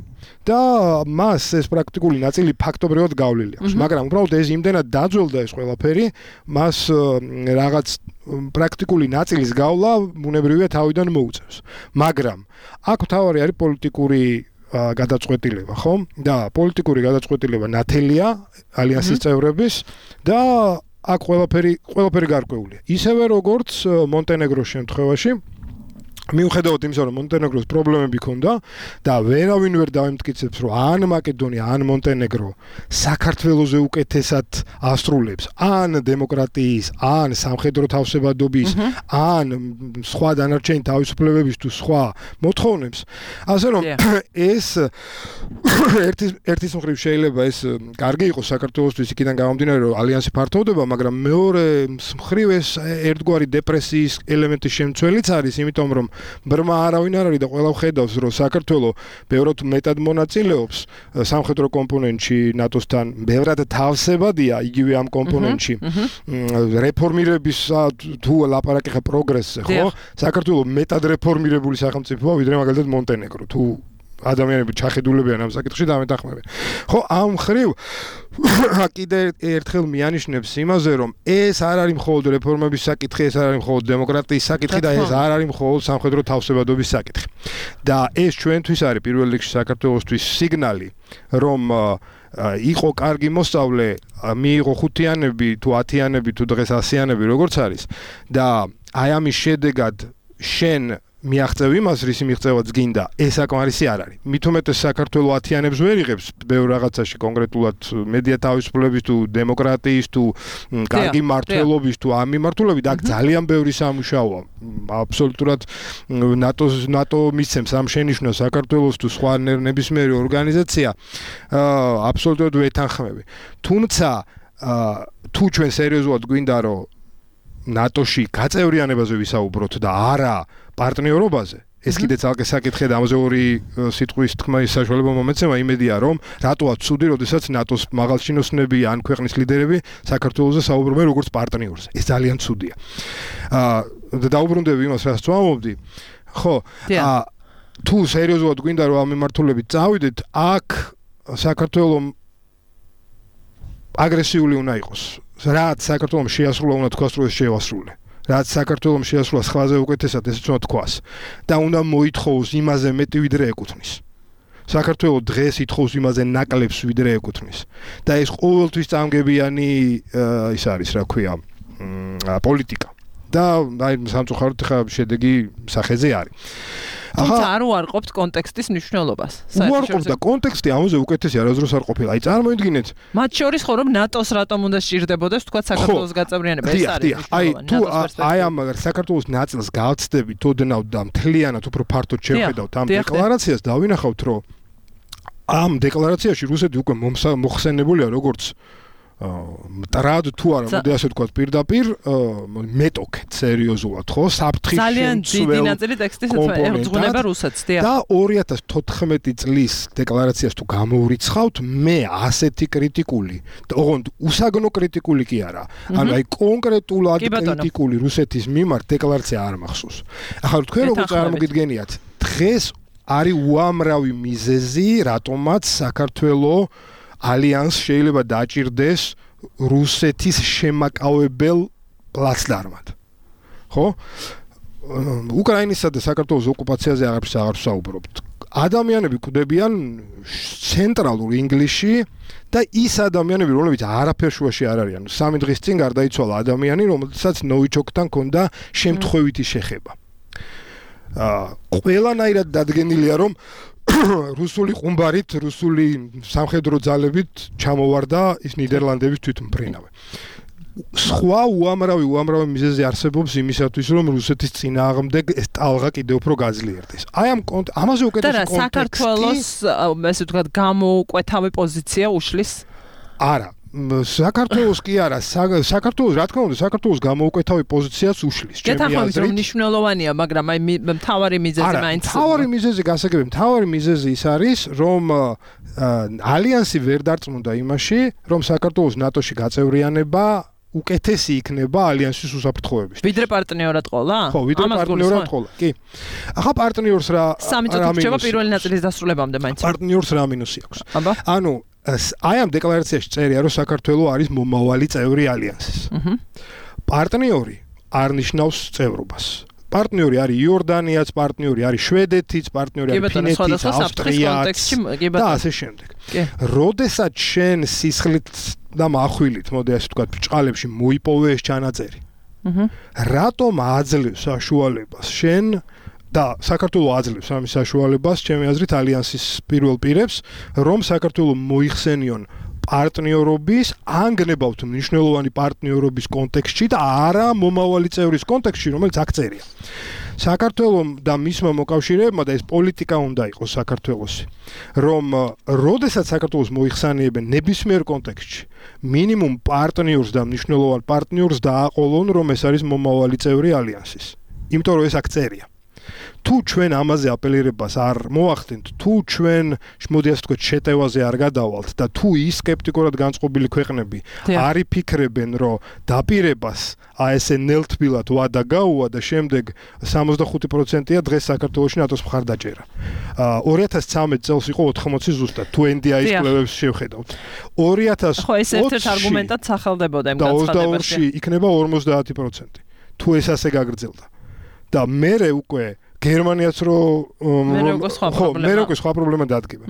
Speaker 3: და მას ეს პრაქტიკული ნაწილი ფაქტობრივად გავლილი აქვს. მაგრამ უბრალოდ ეს იმდენად დაძველდა ეს ყველაფერი, მას რაღაც პრაქტიკული ნაწილის გავლა ბუნებრივია თავიდან მოუწევს. მაგრამ აქ თავარი არის პოლიტიკური გადაწყვეტილება, ხო? და პოლიტიკური გადაწყვეტილება ნათელია ალიანსის წევრების და აქ ყველაფერი გარკვეულია. ისევე როგორც მონტენეგროს შემთხვევაში, მიუხედავად იმისა, რომ მონტენეგროს პრობლემები ჰქონდა და ვერავინ ვერ დაემტკიცებს, რომ ან მაკედონია, ან მონტენეგრო საქართველოზე უკეთესად ასრულებს, ან დემოკრატიის, ან სამხედრო თავსებადობის, ან სხვა დანარჩენი თავისუფლებების თუ სხვა მოთხოვნებს, ასე რომ ეს ერთის მხრივ შეიძლება ეს კარგი იყოს საქართველოსთვის იქიდან გამომდინარე, რომ ალიანსი ფართოვდება, მაგრამ მეორე მხრივ ეს ერთგვარი დეპრესიის ელემენტის შემცველიც არის, იმიტომ რომ ბრმა არავინ არ არის და ყველა ხედავს, რომ საქართველოს ბევრად მეტად მონაწილეობს სამხედრო კომპონენტში ნატოსთან, ბევრად თავსებადია იგივე ამ კომპონენტში. რეფორმირების თუ ლაპარაკი ხა პროგრესზე, ხო? საქართველოს მეტად რეფორმირებული სახელმწიფოა, ვიდრე მაგალითად მონტენეგრო. თუ ადამიანები ჩახედულებიან ამ საკითხში და ამეთანხმებიან. ხო, ამ ხრივ კიდე ერთხელ მიანიშნებს იმაზე, რომ ეს არ არის მხოლოდ რეფორმების საკითხი, ეს არ არის მხოლოდ დემოკრატიის საკითხი და ეს არ არის მხოლოდ სამხედრო თავსებადობის საკითხი. და ეს ჩვენთვის არის პირველ რიგში საქართველოსთვის სიგნალი, რომ იყო კარგი მოსწავლე, მიიღო 5-იანები თუ 10-იანები თუ დღეს 100-იანები როგორც არის და აი ამის შედეგად შენ მიაღწევ იმას, რისი მიღწევაც გინდა, ეს საკმარისი არ არის. მით უმეტეს საქართველოს 10-იანებს ვერ იღებს ბევრ რაღაცაში, კონკრეტულად მედია თავისუფლების თუ დემოკრატიის თუ კარგი მმართველობის თუ ამ მიმართულებით, აქ ძალიან ბევრი სამუშაოა. აბსოლუტურად ნატო მისცემს ამ შენიშვნას საქართველოს თუ სხვა ნებისმიერი ორგანიზაცია, აბსოლუტურად ვეთანხმები. თუმცა თუ ჩვენ სერიოზულად გვინდა რომ ნატოში გაწევრიანებაზე ვისაუბროთ და არა პარტნიორობაზე, ეს კიდე ცალკე საკითხია და ამაზე ორი სიტყვის თქმის საშუალება მომეცემა, იმედია რომ რატოა ცუდი, როდესაც ნატოს მაღალჩინოსნები ან ქვეყნის ლიდერები საქართველოზე საუბრობენ როგორც პარტნიორზე. ეს ძალიან ცუდია. და დაუბრუნდები იმას, რაც ვამბობდი. ხო, თუ სერიოზულად გვინდა რომ ამ მიმართულებით წავიდეთ, აქ საქართველოს აგრესიული უნდა იყოს. რაც საქართველოს შეასრულა უნდა თქვას რომ ეს შეასრულე. რაც საქართველოს შეასრულა სხვაზე უკეთესად ესეც უნდა თქვას და უნდა მოითხოვოს იმაზე მეტი ვიდრე ეკუთვნის. საქართველოს დღეს ითხოვს იმაზე ნაკლებს ვიდრე ეკუთვნის. და ეს ყოველთვის წამგებიანი ის არის, რა ქვია, პოლიტიკა. და აი სამწუხაროდ ხა შედეგი სახეზე არის.
Speaker 2: თუმცა არ უარყოფთ კონტექსტის მნიშვნელობას.
Speaker 3: უარყოფ და კონტექსტი ამაზე უკეთესი არასდროს არ ყოფილა. აი წარმოიდგინეთ.
Speaker 2: მათ შორის ხო რომ ნატოს რატომ უნდა სჭირდებოდეს თქვა საქართველოს გაწევრიანება, ეს არის.
Speaker 3: აი თუ აი ამ საქართველოს ნაწილს გავცდებით ოდნავ და მთლიანად უფრო ფართოდ შევხედავთ ამ დეკლარაციას, დავინახავთ რომ ამ დეკლარაციაში რუსეთი უკვე მოხსენებულია როგორც მტრად თუ არა, მოდი ასე ვთქვათ, პირდაპირ მეტოქეთ სერიოზულად, ხო? საფრთხის
Speaker 2: ძალიან დიდი ნაწილი ტექსტის ეძღვნება რუსეთს, დიახ.
Speaker 3: და 2014 წლის დეკლარაციას თუ გამოვრიცხავთ, მე ასეთი კრიტიკული, ოღონდ უსაგნო კრიტიკული კი არა. ანუ აი კონკრეტულად კრიტიკული რუსეთის მიმართ დეკლარაცია არ მახსოვს. ახლა თქვენ როგორ წარმოგიდგენიათ, დღეს არის უამრავი მიზეზი, რატომაც საქართველოს ალიანს შეიძლება დაჭირდეს რუსეთის შემაკავებელ პლაცდარმად. ხო? უკრაინისა და საქართველოს ოკუპაციაზე აღარც საუბრობთ. ადამიანები კვდებიან ცენტრალურ ინგლისში და ის ადამიანები, რომლებიც არაფერ შუაში არ არიან. 3 დღის წინ გარდაიცვალა ადამიანი, რომელსაც ნოვიჩოკთან ჰქონდა შემთხვევითი შეხება. ყველანაირად დადგენილია, რომ რუსული ყუმბარით, რუსული სამხედრო ძალებით ჩამოვარდა ის ნიდერლანდების თვითმფრინავი. სხვა უამრავი მიზეზი არსებობს იმისათვის, რომ რუსეთის წინააღმდეგ ეს ტალღა კიდევ უფრო გაძლიერდეს. აი ამაზე უკეთესი კონტექსტი.
Speaker 2: და საქართველოს ესე ვთქვათ გამოუკვეთავი პოზიცია უშლის?
Speaker 3: არა. საქართველოს კი არა, საქართველოს რა თქმა უნდა, საქართველოს გამოუკვეთავი პოზიციას უშლის.
Speaker 2: გეთანხმებით რომ მნიშვნელოვანია, მაგრამ აი მთავარი მიზეზი მაინც.
Speaker 3: მთავარი მიზეზი გასაგები, მთავარი მიზეზი ის არის, რომ ალიანსი ვერ დარწმუნდა იმაში, რომ საქართველოს ნატოში გაწევრიანება უკეთესი იქნება ალიანსის უსაფრთხოებისთვის.
Speaker 2: ვიდრე პარტნიორად ყოლა?
Speaker 3: ხო, ვიდრე პარტნიორად ყოლა. კი. ახლა პარტნიორს რა
Speaker 2: სამი წუთი რჩება პირველი ნაწილის დასრულებამდე მაინც.
Speaker 3: პარტნიორს რა მინუსი აქვს? ანუ აი ამ დეკლარაციაში წერია, რომ საქართველოს არის მომავალი წევრი ალიანსის. პარტნიორი არ ნიშნავს წევრობას. პარტნიორი არის იორდანიაც, პარტნიორი არის შვედეთიც, პარტნიორი არის ფინეთიც, ავსტრიაც და ასე შემდეგ. როდესაც შენ სისხლით და מחვილით, მოდი ასე ვთქვათ, ბჭყალებში მოიპოვე ეს ჩანაწერი. რატომ აძლევს საშუალებას შენ და საქართველოს აძლევს ამის საშუალებას, ჩემი აზრით, ალიანსის პირველ პირებს, რომ საქართველოს მოიხსენიონ პარტნიორობის, ანგნებავთ მნიშვნელოვანი პარტნიორობის კონტექსტში და არა მომავალი წევრის კონტექსტში, რომელიც აქ წერია. საქართველოს და მისმა მოკავშირეებმა და ეს პოლიტიკა უნდა იყოს საქართველოსი, რომ როდესაც საქართველოს მოიხსენიებენ ნებისმიერ კონტექსტში, მინიმუმ პარტნიორს და მნიშვნელოვან პარტნიორს დააყოლონ, რომ ეს არის მომავალი წევრი ალიანსის. იმიტომ რომ ეს აქ წერია. თუ ჩვენ ამაზე აპელირებას არ მოახდენთ, თუ ჩვენ მოდი ასე ვთქვათ შეტევაზე არ გადავალთ და თუ ის სკეპტიკურად განწყობილი ქვეყნები არ იფიქრებენ, რომ დაპირებას აი ესე ნელთბილად ვადა გაუვა და შემდეგ 65%-ია დღეს საქართველოში ნატოს მხარდაჭერა. 2013 წელს იყო 80 ზუსტად, თუ NDI-ის კვლევებს შევხედავთ. 2020
Speaker 2: ხო, ეს ერთ-ერთ არგუმენტად სახელდებოდა იმ
Speaker 3: განცხადებაში. და 22-ში იქნება 50%. თუ ეს ასე გაგრძელდა. და მე უკვე გერმანიაც
Speaker 2: მე
Speaker 3: უკვე სხვა პრობლემა დადგება.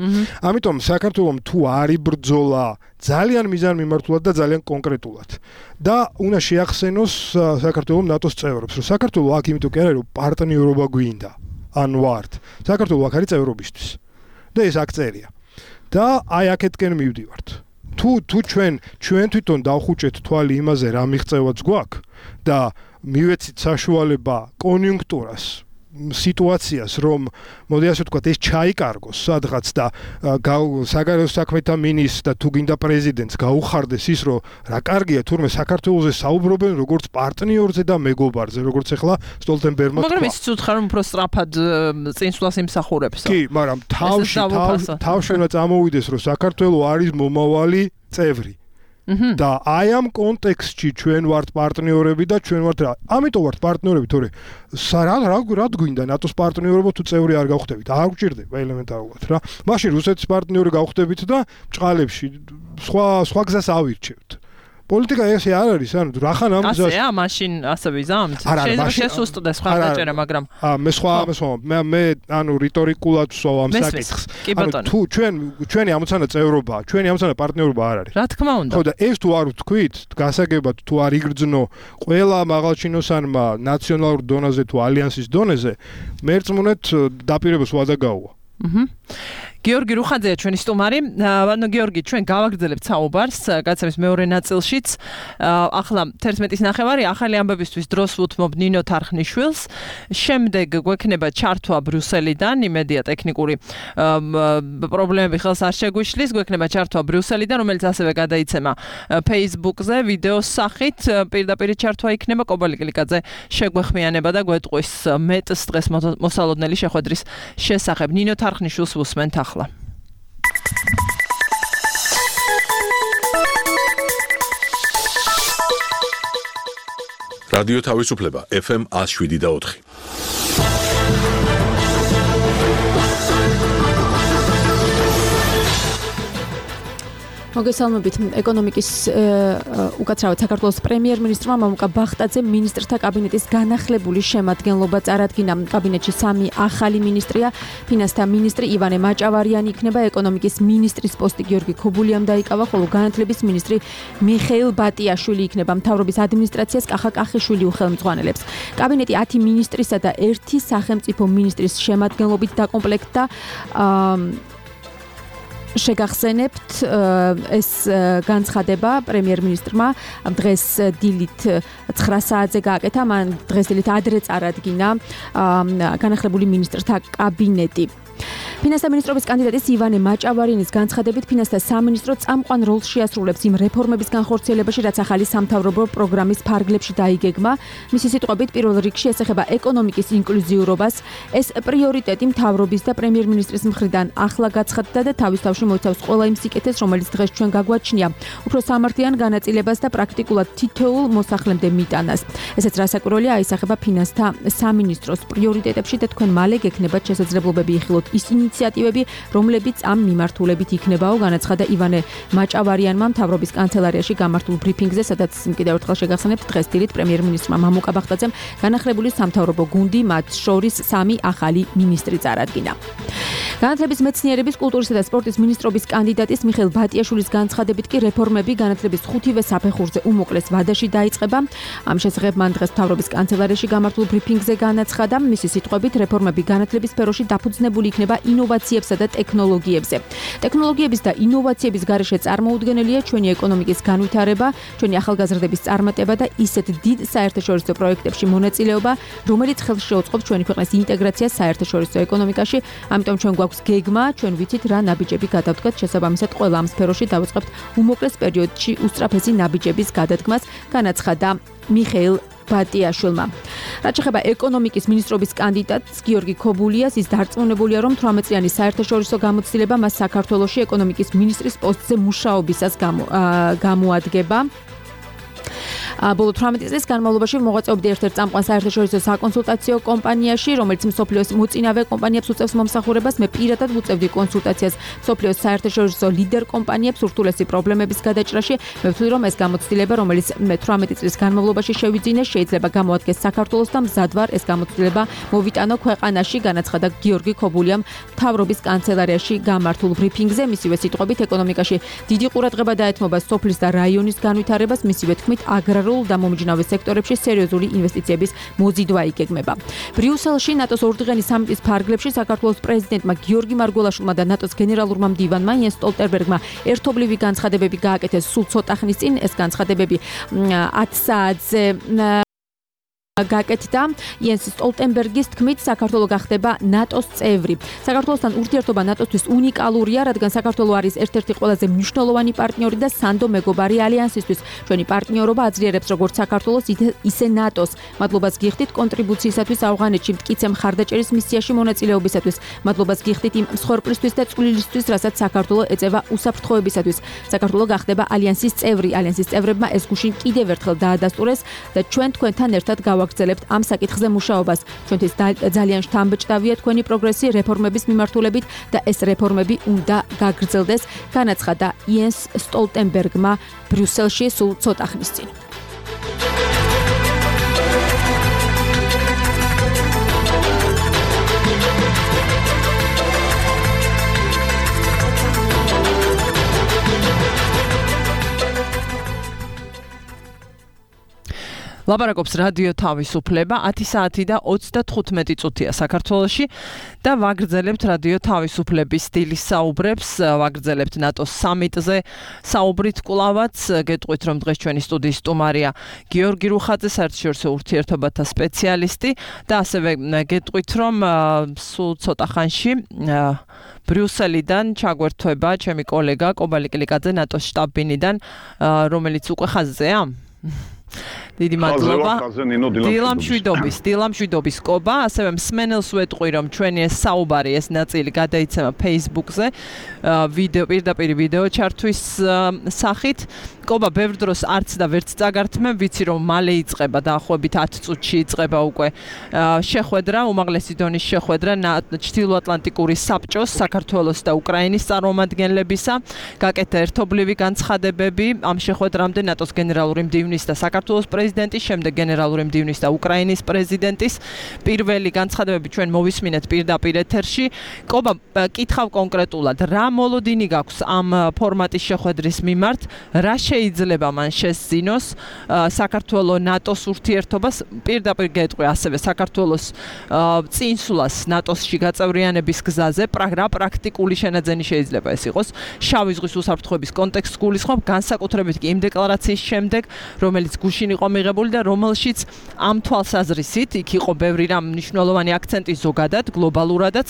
Speaker 3: ამიტომ საქართველოს თუ არ იბრძოლა ძალიან მიზანმიმართულად და ძალიან კონკრეტულად და უნდა შეახსენოს საქართველოს ნატოს წევრებს, რომ საქართველოს აქ იმიტომ კი არა, რომ პარტნიორობა გვინდა, ან ვართ. საქართველოს აქ არის წევრობისთვის. და ეს აქ წერია. და აი აქეთკენ მივდივართ. თუ ჩვენ თვითონ დავხუჭეთ თვალი იმაზე, რა მიღწევაც გვაქვს და მივეცით საშუალება კონიუნქტურას სიტუაციას, რომ მოდი ასე ვთქვათ, ეს ჩაიკარგოს სადღაც და საგარეო საქმეთა მინისტრს და თუ გინდა პრეზიდენტს გაუხარდეს ის, რომ რა კარგია თურმე საქართველოზე საუბრობენ როგორც პარტნიორზე და მეგობარზე, როგორც ახლა სტოლტენბერგმა თქვა.
Speaker 2: მაგრამ ის უცხარ რომ უფრო სწრაფად წინსვლას იმსახურებს.
Speaker 3: კი, მაგრამ თავშენა წამოვიდეს, რომ საქართველო არის მომავალი წევრი. და აი ამ კონტექსტში ჩვენ ვართ პარტნიორები და ჩვენ ვართ რა. ამიტომ ვართ პარტნიორები, თორე რა გვინდა ნატოს პარტნიორობა თუ წევრი არ გავხდებით? არ გვჭირდება ელემენტარულად რა. მაშინ რუსეთის პარტნიორი გავხდებით და ბჭყალებში სხვა გზას ავირჩევთ. პოლიტიკა ესე არ არის, ანუ რახან ამ გზას
Speaker 2: ასეა, მაშინ ასე ვიზამთ. შეიძლება შესუსტდეს სხვა დაჭერა, მაგრამ
Speaker 3: მე ანუ რიტორიკულად ვსვავ ამ საკითხს. თუ ჩვენი ამოცანა წევრობაა, ჩვენი ამოცანა პარტნიორობა არ არის.
Speaker 2: რა თქმა უნდა.
Speaker 3: ხო და ეს თუ არ ვთქვით, გასაგებად თუ არ იგრძნო ყველა მაღალჩინოსანმა ნაციონალურ დონეზე თუ ალიანსის დონეზე, მერწმუნეთ დაპირებას ვადა გაუვა.
Speaker 2: გიორგი რუხაძეა ჩვენი სტუმარი. ანუ გიორგი, ჩვენ გავაგრძელებთ საუბარს გაცემის მეორე ნაწილშიც. ახლა 11:09 ახალი ამბებისთვის დროს ვუთმობ ნინო თარხნიშვილს. შემდეგ გვექნება ჩართვა ბრიუსელიდან, იმედია ტექნიკური პრობლემები ხელს არ შეგვიშლის. გვექნება ჩართვა ბრიუსელიდან, რომელიც ასევე გადაიცემა Facebook-ზე ვიდეოს სახით. პირდაპირ ჩართვა იქნება. კობალი კლიკაძე შეგვეხმიანება და გვეტყვის მეტს დღეს მოსალოდნელი შეხვედრის შესახებ. ნინო თარხნიშვილს ვუსმენთ ახლა.
Speaker 1: რადიო თავისუფლება FM 107.4.
Speaker 7: მოგესალმებით. ეკონომიკის უკაცრავად საქართველოს პრემიერ-მინისტრმა მამუკა ბახტაძე მინისტრთა კაბინეტის განახლებული შემადგენლობა წარადგინა. კაბინეტში 3 ახალი მინისტრია. ფინანსთა მინისტრი ივანე მაჭავარიანი იქნება, ეკონომიკის მინისტრის პოსტი გიორგი ქობულიამ დაიკავა, ხოლო განათლების მინისტრი მიხეილ ბატიაშვილი იქნება. მთავრობის ადმინისტრაციას კახა კახიშვილი უხელმძღვანელებს. კაბინეტი 10 მინისტრისა და 1 სახელმწიფო მინისტრის შემადგენლობით დაკომპლექტდა. შეგახსენებთ ეს განცხადება პრემიერ-მინისტრმა დღეს დილით 9 საათზე გააკეთა. მან დღეს დილით ადრე წარადგინა განახლებული მინისტრთა კაბინეტი. ფინანსთა მინისტრობის კანდიდატის ივანე მაჭავარიანის განცხადებით ფინანსთა სამინისტრო წამყვან როლს შეასრულებს იმ რეფორმების განხორციელებაში, რაც ახალი სამთავრობო პროგრამის ფარგლებში დაიგეგმა. მისი სიტყვებით, პირველ რიგში ეს ეხება ეკონომიკის ინკლუზიურობას. ეს პრიორიტეტი მთავრობის და პრემიერ-მინისტრის მხრიდან ახლა გაცხადდა და თავის თავში მოიცავს ყველა იმ სიკეთეს, რომელიც დღეს ჩვენ გაგვაჩნია. უფრო სამართლიან განაწილებას და პრაქტიკულად თითოეულ მოსახლემდე მიტანას. ესეც რასაკვირველია აისახება ფინანსთა სამინისტროს პრიორიტეტებში და თქვენ მალე გექნებათ შესაძლებლობები იხილოთ ის ინიციატივები, რომლებიც ამ მიმართულებით იქნებაო, განაცხადა ივანე მაჭავარიანმა მთავრობის კანცელარიაში გამართულ ბრიფინგზე, სადაც კიდევ ერთხელ შეგახსენებთ, დღეს დილით პრემიერ-მინისტრმა მამუკა ბახტაძემ განახლებული სამთავრობო გუნდი, მათ შორის 3 ახალი მინისტრი წარადგინა. განათლების მეცნიერების, კულტურისა და სპორტის მინისტრობის კანდიდატის მიხეილ ბატიაშვილის განცხადებით კი რეფორმები განათლების 5-ვე საფეხურზე უმოკლეს ვადაში დაიწყება. ამ შესახებ მან დღეს მთავრობის კანცელარიაში გამართულ ბრიფინგზე განაცხადა, მისი სიტყვებით რეფორმები განათლების სფეროში დაფუძნებული იქნება ინოვაციებსა და ტექნოლოგიებზე. ტექნოლოგიების და ინოვაციების გარეშე წარმოუდგენელია ჩვენი ეკონომიკის განვითარება, ჩვენი ახალგაზრდების წარმატება და ისეთ დიდ საერთაშორისო პროექტებში მონაწილეობა, რომელიც ხელს შეუწყობს ჩვენი ქვეყნის ინტეგრაციას საერთაშორისო ეკონომიკაში. ამიტომ ჩვენ გვაქვს გეგმა, ჩვენ ვიცით რა ნაბიჯები გადავდგათ, შესაბამისად ყველა ამ სფეროში დავიწყებთ უმოკლეს პერიოდში უსწრაფესი ნაბიჯების გადადგმას, განაცხადა მიხეილ ბატიაშვილმა. რაც შეეხება ეკონომიკის მინისტრობის კანდიდატს გიორგი ქობულიას, ის დარწმუნებულია, რომ 18-წლიანი საერთაშორისო გამოცდილება მას საქართველოში ეკონომიკის მინისტრის პოსტზე მუშაობისას გამოადგება. ბოლო 18 წლის განმავლობაში მოღვაწეობდა ერთ-ერთ წამყვან საერთაშორისო საკონსულტაციო კომპანიაში, რომელიც მსოფლიოს მოწინავე კომპანიებს უწევს მომსახურებას. მე პირადად ვუწევდი კონსულტაციას მსოფლიოს საერთაშორისო ლიდერ კომპანიებს ურთულესი პრობლემების გადაჭრაში. მე ვთვლი, რომ ეს გამოცდილება, რომელიც მე 18 წლის განმავლობაში შევიძინე, შეიძლება გამოადგეს საქართველოს და მზად ვარ ეს გამოცდილება მოვიტანო ქვეყანაში, განაცხადა გიორგი ქობულიამ მთავრობის კანცელარიაში გამართულ ბრიფინგზე. მისივე სიტყვებით, ეკონომიკაში დიდი ყურადღება დაეთმობა სოფლის და რაიონის განვითარებას, მისივე თქმით, აგრარულ და მომჯნავე სექტორებში სერიოზული ინვესტიციების მოზიდვა იგეგმება. ბრიუსელში ნატოს ორდღიანი სამიტის ფარგლებში საქართველოს პრეზიდენტმა გიორგი მარგველაშვილმა და ნატოს გენერალურმა მდივანმა იენს სტოლტენბერგმა ერთობლივი განცხადებები გააკეთეს სულ ცოტა ხნის წინ. ეს განცხადებები 10 საათზე გაკეთდა იენს სტოლტენბერგის თქმით საქართველო გახდება ნატოს წევრი. საქართველოსთან ურთიერთობა ნატოსთვის უნიკალურია, რადგან საქართველო არის ერთ-ერთი ყველაზე მნიშვნელოვანი პარტნიორი და სანდო მეგობარი ალიანსისთვის. ჩვენი პარტნიორობა აძლიერებს როგორც საქართველოს, ისე ნატოს. მადლობას გიხდით კონტრიბუციისათვის ავღანეთში მტკიცე მხარდაჭერის მისიაში მონაწილეობისათვის. მადლობას გიხდით იმ მსხვერპლისთვის და წვლილისთვის, რასაც საქართველო ეწევა უსაფრთხოებისათვის. საქართველო გახდება ალიანსის წევრი. ალიანსის წევრებმა ეს გუშინ კიდევ ერთხელ დაადასტურეს და ჩვენ თქვენთან ერთად გავაგრძელებთ ამ საკითხზე მუშაობას. ჩვენთვის ძალიან შთამბეჭდავია თქვენი პროგრესი რეფორმების მიმართულებით და ეს რეფორმები უნდა გაგრძელდეს, განაცხადა იენს სტოლტენბერგმა ბრიუსელში სულ ცოტა ხნის წინ.
Speaker 2: ლაპარაკობს რადიო თავისუფლება 10 საათი და 35 წუთია საქართველოში და ვაგრძელებთ რადიო თავისუფლების სტილის საუბრებს, ვაგრძელებთ ნატოს სამიტზე საუბრით კვლავაც, გეტყვით რომ დღეს ჩვენი სტუდიის სტუმარია გიორგი რუხაძე, საერთაშორისო ურთიერთობათა სპეციალისტი და ასევე გეტყვით რომ სულ ცოტა ხანში ბრიუსელიდან ჩაგვერთვება ჩემი კოლეგა კობა ლიკლიკაძე ნატოს შტაბ-ბინიდან, რომელიც უკვე ხაზზეა. დიდი მადლობა. დილამშვიდობის კობა, ასევე მსმენელს ვეტყვი რომ ჩვენი ეს საუბარი, ეს ნაწილი გადაიცემა Facebook-ზე, პირდაპირ ვიდეო ჩართვის სახით. კობა, ბევრ დროს არც და ვერც წაგართმევ, ვიცი რომ მალე იწყება დაახლოებით 10 წუთში იწყება უკვე შეხვედრა, უმაღლესი დონის შეხვედრა ჩრდილოატლანტიკური საბჭოს, საქართველოს და უკრაინის წარმომადგენლებისა. გაკეთდა ერთობლივი განცხადებები ამ შეხვედრამდე ნატოს გენერალური მდივნის და საქართველოს პრეზიდენტის, შემდეგ გენერალური მდივნის და უკრაინის პრეზიდენტის. პირველი განცხადებები ჩვენ მოვისმინეთ პირდაპირ ეთერში. კობა, კითხავ კონკრეტულად, რა მოლოდინი გაქვს ამ ფორმატის შეხვედრის მიმართ, რა შეიძლება მან შესძინოს საქართველოს ნატოს ურთიერთობას, პირდაპირ გეტყვი ასევე საქართველოს წინსვლას ნატოსში გაწევრიანების გზაზე, რა პრაქტიკული შენაძენი შეიძლება ეს იყოს შავი ზღვის უსაფრთხოების კონტექსტს გულისხმობ, განსაკუთრებით კი იმ დეკლარაციის შემდეგ, რომელიც გუშინ იყო მიღებული და რომელშიც ამ თვალსაზრისით იქ იყო ბევრი რამ მნიშვნელოვანი აქცენტი ზოგადად, გლობალურადაც,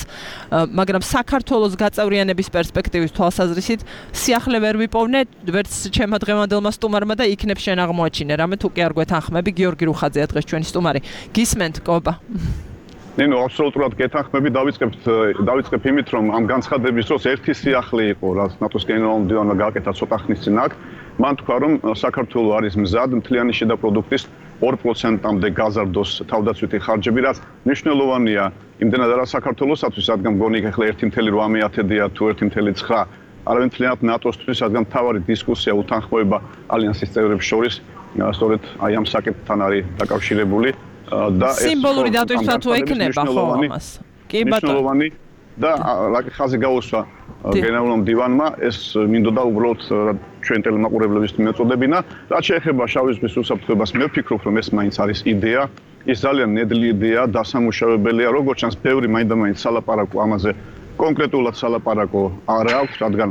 Speaker 2: მაგრამ საქართველოს გაწევრიანების პერსპექტივის თვალსაზრისით სიახლე ვერ ვიპოვნე, ვერც ჩემმა დღევანდელმა სტუმარმა და იქნებ შენ აღმოაჩინე, რამე თუ კი არ გვეთანხმები, გიორგი რუხაძეა დღეს ჩვენი სტუმარი. გისმენთ, კობა.
Speaker 8: ნინო, აბსოლუტურად გეთანხმები, დავიწყებ იმით, რომ ამ განცხადების დროს ერთი სიახლე იყო, რაც ნატოს გენერალურ მდივანმა გააკეთა ცოტა ხნის წინ აქ. მან თქვა, რომ საქართველოს არის მზად მთლიანი შიდა პროდუქტის 2%-მდე გაზარდოს თავდაცვითი ხარჯები, რაც მნიშვნელოვანია იმდენად არა საქართველოსათვის, რადგან მგონი ახლა 1.8-დია თუ 1.9. არავინ მთლიანად ნატოსთვის, რადგან მთავარი დისკუსია უთანხმოება ალიანსის წევრებს შორის, სწორედ აი ამ საკითხთან არის დაკავშირებული და ეს
Speaker 2: სიმბოლური დატვირთვა თუ ექნება ხო ამას? კი ბატონო.
Speaker 8: და ხაზი გაუსვა გენერალურ მდივანმა, ეს მინდოდა უბრალოდ ჩვენ ტელემაყურებლების მეწოდებინა, რაც შეეხება შავი ზღვის უსაფრთხოებას, მე ვფიქრობ, რომ ეს მაინც არის იდეა, ის ძალიან ნედლი იდეა, დასამუშავებელია, როგორც ჩანს, ბევრი მაინდა-მაინც სალაპარაკო ამაზე კონკრეტულად სალაპარაკო არ აქვს, რადგან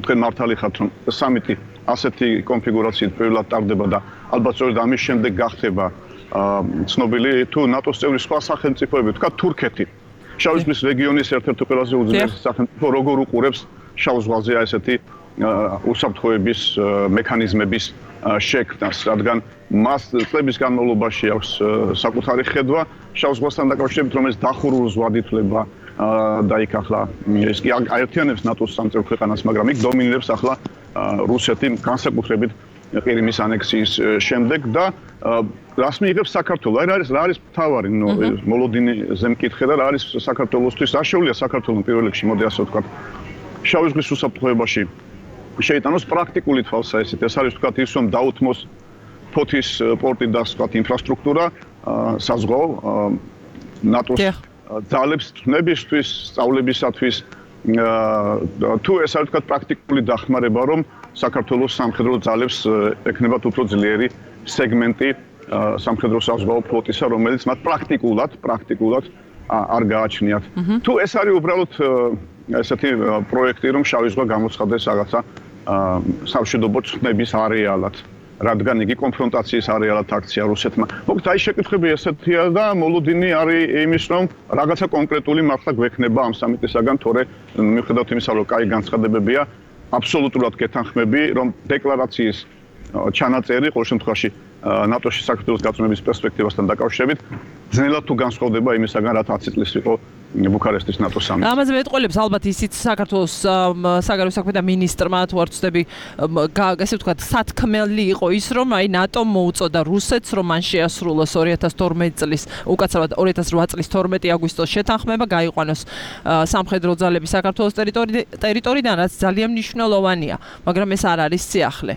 Speaker 8: თქვენ მართალი ხართ, რომ სამიტი ასეთი კონფიგურაციით პირველად ტარდება და ალბათ სწორედ ამის შემდეგ გახდება ცნობილი თუ ნატოს წევრი სხვა სახელმწიფოები, თქვა თურქეთი. შავი ზღვის რეგიონის ერთ-ერთი ყველაზე უძლიერესი სახელმწიფო როგორ უყურებს შავ ზღვაზე ესეთი უსაფრთხოების მექანიზმების შექმნას, რადგან მას წლების განმავლობაში აქვს საკუთარი ხედვა შავ ზღვასთან დაკავშირებით, რომელიც დახურულ ზღვად ითვლება და იქ ახლა ეს კი აერთიანებს ნატოს სამწევრ ქვეყანას, მაგრამ იქ დომინირებს ახლა რუსეთი განსაკუთრებით ყირიმის ანექსიის შემდეგ და რას მიიღებს საქართველოს? რა არის მთავარი მოლოდინზე მკითხე და რა არის საქართველოსთვის? რა შეუძლია საქართველოს პირველ რიგში, მოდი ასე ვთქვათ, შავი ზღვის უსაფრთხოებაში შეიტანოს პრაქტიკული თვალსაზრისით. ეს არის ვთქვათ ის, რომ დაუთმოს ფოთის პორტი და სხვა ინფრასტრუქტურა საზღვაო ნატოს ძალებს თმებისთვის, სწავლებისათვის, თუ ეს არის ვთქვათ პრაქტიკული დახმარება, რომ საქართველოს სამხედრო ძალებს ექნებათ უფრო ძლიერი სეგმენტი სამხედრო საზღვაო ფლოტისა, რომელიც მათ პრაქტიკულად არ გააჩნიათ. თუ ეს არის უბრალოდ ესეთი პროექტი, რომ შავი ზღვა გამოცხადდეს რაღაცა სამშვიდობო წვნების არეალად, რადგან იგი კონფრონტაციის არეალად აქცია რუსეთმა. მოკლედ აი შეკითხვები ესეთია და მოლოდინი არის იმის რომ რაღაცა კონკრეტული მართლა გვექნება ამ სამიტისაგან, თორე მიუხედავად იმისა, რომ კაი განცხადებებია, აბსოლუტურად გეთანხმები, რომ დეკლარაციის ჩანაწერი ყოველ შემთხვევაში ნატოში საქართველოს გაწმენდის პერსპექტივასთან დაკავშირებით ძნელად თუ განსხვავდება იმისაგან, რაც 10 წლის იყო ბუქარესტის ნატოს სამიტი.
Speaker 2: ამაზე მეტყოლებს ალბათ ისიც საქართველოს საგარეო საქმეთა მინისტრმა თუ არ ვცდები, ესე ვთქვათ, სათქმელი იყო ის, რომ აი ნატომ მოუწოდა რუსეთს, რომ მან შეასრულოს 2012 წლის, უკაცრავად 2008 წლის 12 აგვისტოს შეთანხმება, გაიყვანოს სამხედრო ძალები საქართველოს ტერიტორიიდან, რაც ძალიან მნიშვნელოვანია, მაგრამ ეს არ არის სიახლე.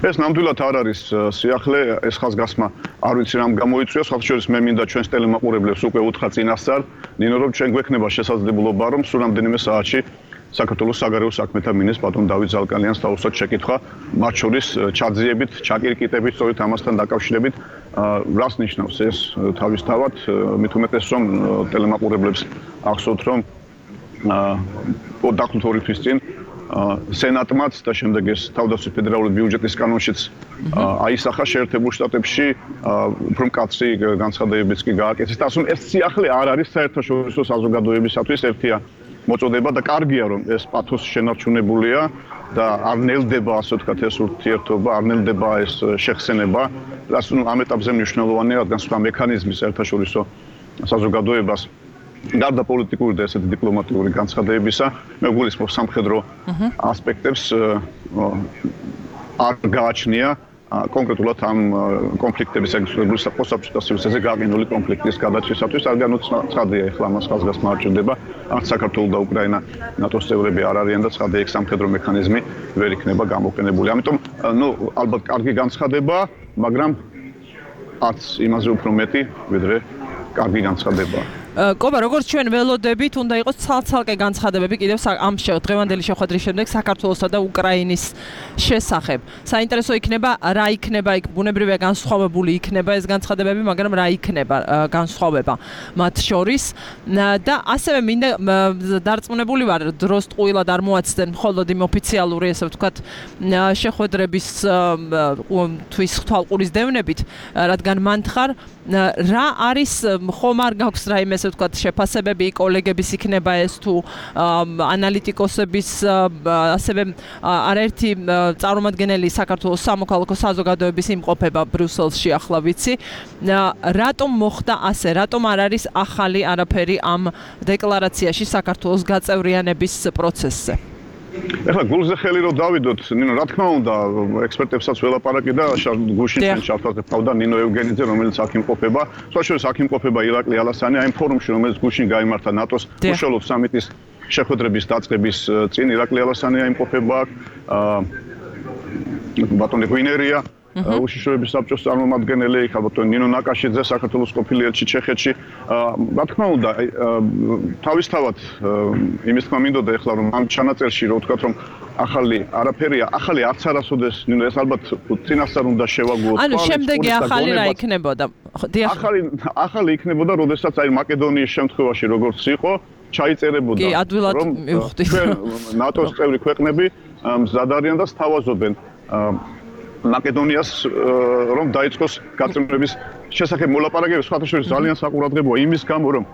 Speaker 8: ეს ნამდვილად არ არის სიახლე, ეს ხაზგასმა არ ვიცი რამ გამოიწვია, სხვათაშორის მე მინდა ჩვენს ტელემაყურებლებს უკვე უთხრა წინასწარ, ნინო რომ ჩვენ გვექნება შესაძლებლობა, რომ სულ რამდენიმე საათში საქართველოს საგარეო საქმეთა მინისტრს ბატონ დავით ზალკალიანს თავისუფლად შეკითხვა, მათ შორის ჩაძიებით, ჩაკირკიტებით, სწორედ ამასთან დაკავშირებით, რას ნიშნავს ეს თავისთავად, მით უმეტეს რომ ტელემაყურებლებს ახსოვთ, რომ დაახლოებით 2 თვის წინ სენატმაც და შემდეგ ეს თავდაცვის ფედერალური ბიუჯეტის კანონშიც აისახა შეერთებულ შტატებში უფრო მკაცრი განცხადებებიც კი გააკეთეს და ასე ეს სიახლე არ არის საერთაშორისო საზოგადოებისათვის ერთია მოწოდება და კარგია რომ ეს პათოსი შენარჩუნებულია და არ ნელდება ასე ვთქვათ ეს ურთიერთობა, არ ნელდება ეს შეხსენება და ასე ამ ეტაპზე მნიშვნელოვანია რადგან სხვა მექანიზმი საერთაშორისო საზოგადოებას გარდა პოლიტიკური და ესეთი დიპლომატიური განცხადებებისა, მე გულისხმობ სამხედრო ასპექტებს არ გააჩნია კონკრეტულად ამ კონფლიქტების ეგრეთ პოსტსაბჭოთა გაყინული კონფლიქტის გადაწყვეტისათვის, რადგან ცხადია ახლა ამას ხაზგასმა არ ჭირდება, არც საქართველო და უკრაინა ნატოს წევრები არ არიან და ცხადია იქ სამხედრო მექანიზმი ვერ იქნება გამოყენებული. ამიტომ, ალბათ კარგი განცხადება, მაგრამ არც იმაზე უფრო მეტი, ვიდრე კარგი განცხადება.
Speaker 2: კობა, როგორც ჩვენ ველოდებით, უნდა იყოს ცალ-ცალკე განცხადებები კიდევ ამ დღევანდელი შეხვედრის შემდეგ საქართველოსა და უკრაინის შესახებ. საინტერესო იქნება, რა იქნება იქ ბუნებრივია განსხვავებული იქნება ეს განცხადებები, მაგრამ რა იქნება განსხვავება მათ შორის და ასევე მინდა დარწმუნებული ვარ, დროს ტყუილად არ მოაცდენ მხოლოდ იმ ოფიციალური, ესე ვთქვათ, შეხვედრების თვის თვალყურის დევნებით, რადგან მანთხარ რა არის ხომ არ გაქვს რაიმე ესე ვთქვათ შეფასებები კოლეგების იქნება ეს თუ ანალიტიკოსების ასევე არაერთი წარმომადგენელი საქართველოს სამოქალაქო საზოგადოების იმყოფება ბრიუსელში ახლა ვიცი რატომ მოხდა ასე რატომ არ არის ახალი არაფერი ამ დეკლარაციაში საქართველოს გაწევრიანების პროცესზე
Speaker 8: ეხლა გულზე ხელი რომ დავიდოთ, ნინო, რა თქმა უნდა, ექსპერტებსაც ველაპარაკი და გუშინ შევთავაზე თავდა ნინო ევგენიძე, რომელიც აქ იმყოფება. სწორედ აქ იმყოფება ირაკლი ალასანი, აი ფორუმში, რომელიც გუშინ გაიმართა ნატოს უშუალოდ სამიტის შეხვედრების დაწყების წინ ირაკლი ალასანი იმყოფება აქ. ბატონი გვინერია უშიშროების საბჭოს წარმომადგენელი, ხალხო ნინო ნაკაშიძე, საქართველოს ყოფილი ელჩი ჩეხეთში. რა თქმა უნდა, თავისთავად იმის თქმა მინდოდა ეხლა რომ ამ ჩანაწერში რო ვთქვათ რომ ახალი არაფერია, ახალი არც არასოდეს, ნინო ეს ალბათ წინასწარ უნდა შევაგუოთ.
Speaker 2: ანუ შემდეგი ახალი რა იქნებოდა?
Speaker 8: ახალი იქნებოდა, როდესაც აი მაკედონიის შემთხვევაში როგორც იყო, ჩაიწერებოდა
Speaker 2: რომ
Speaker 8: ნატოს წევრი ქვეყნები მზად არიან და სთავაზობენ მაკედონიას რომ დაიწყოს გაწმენდების შესახებ მოლაპარაკებები სხვათა შორის ძალიან საყურადღებოა იმის გამო რომ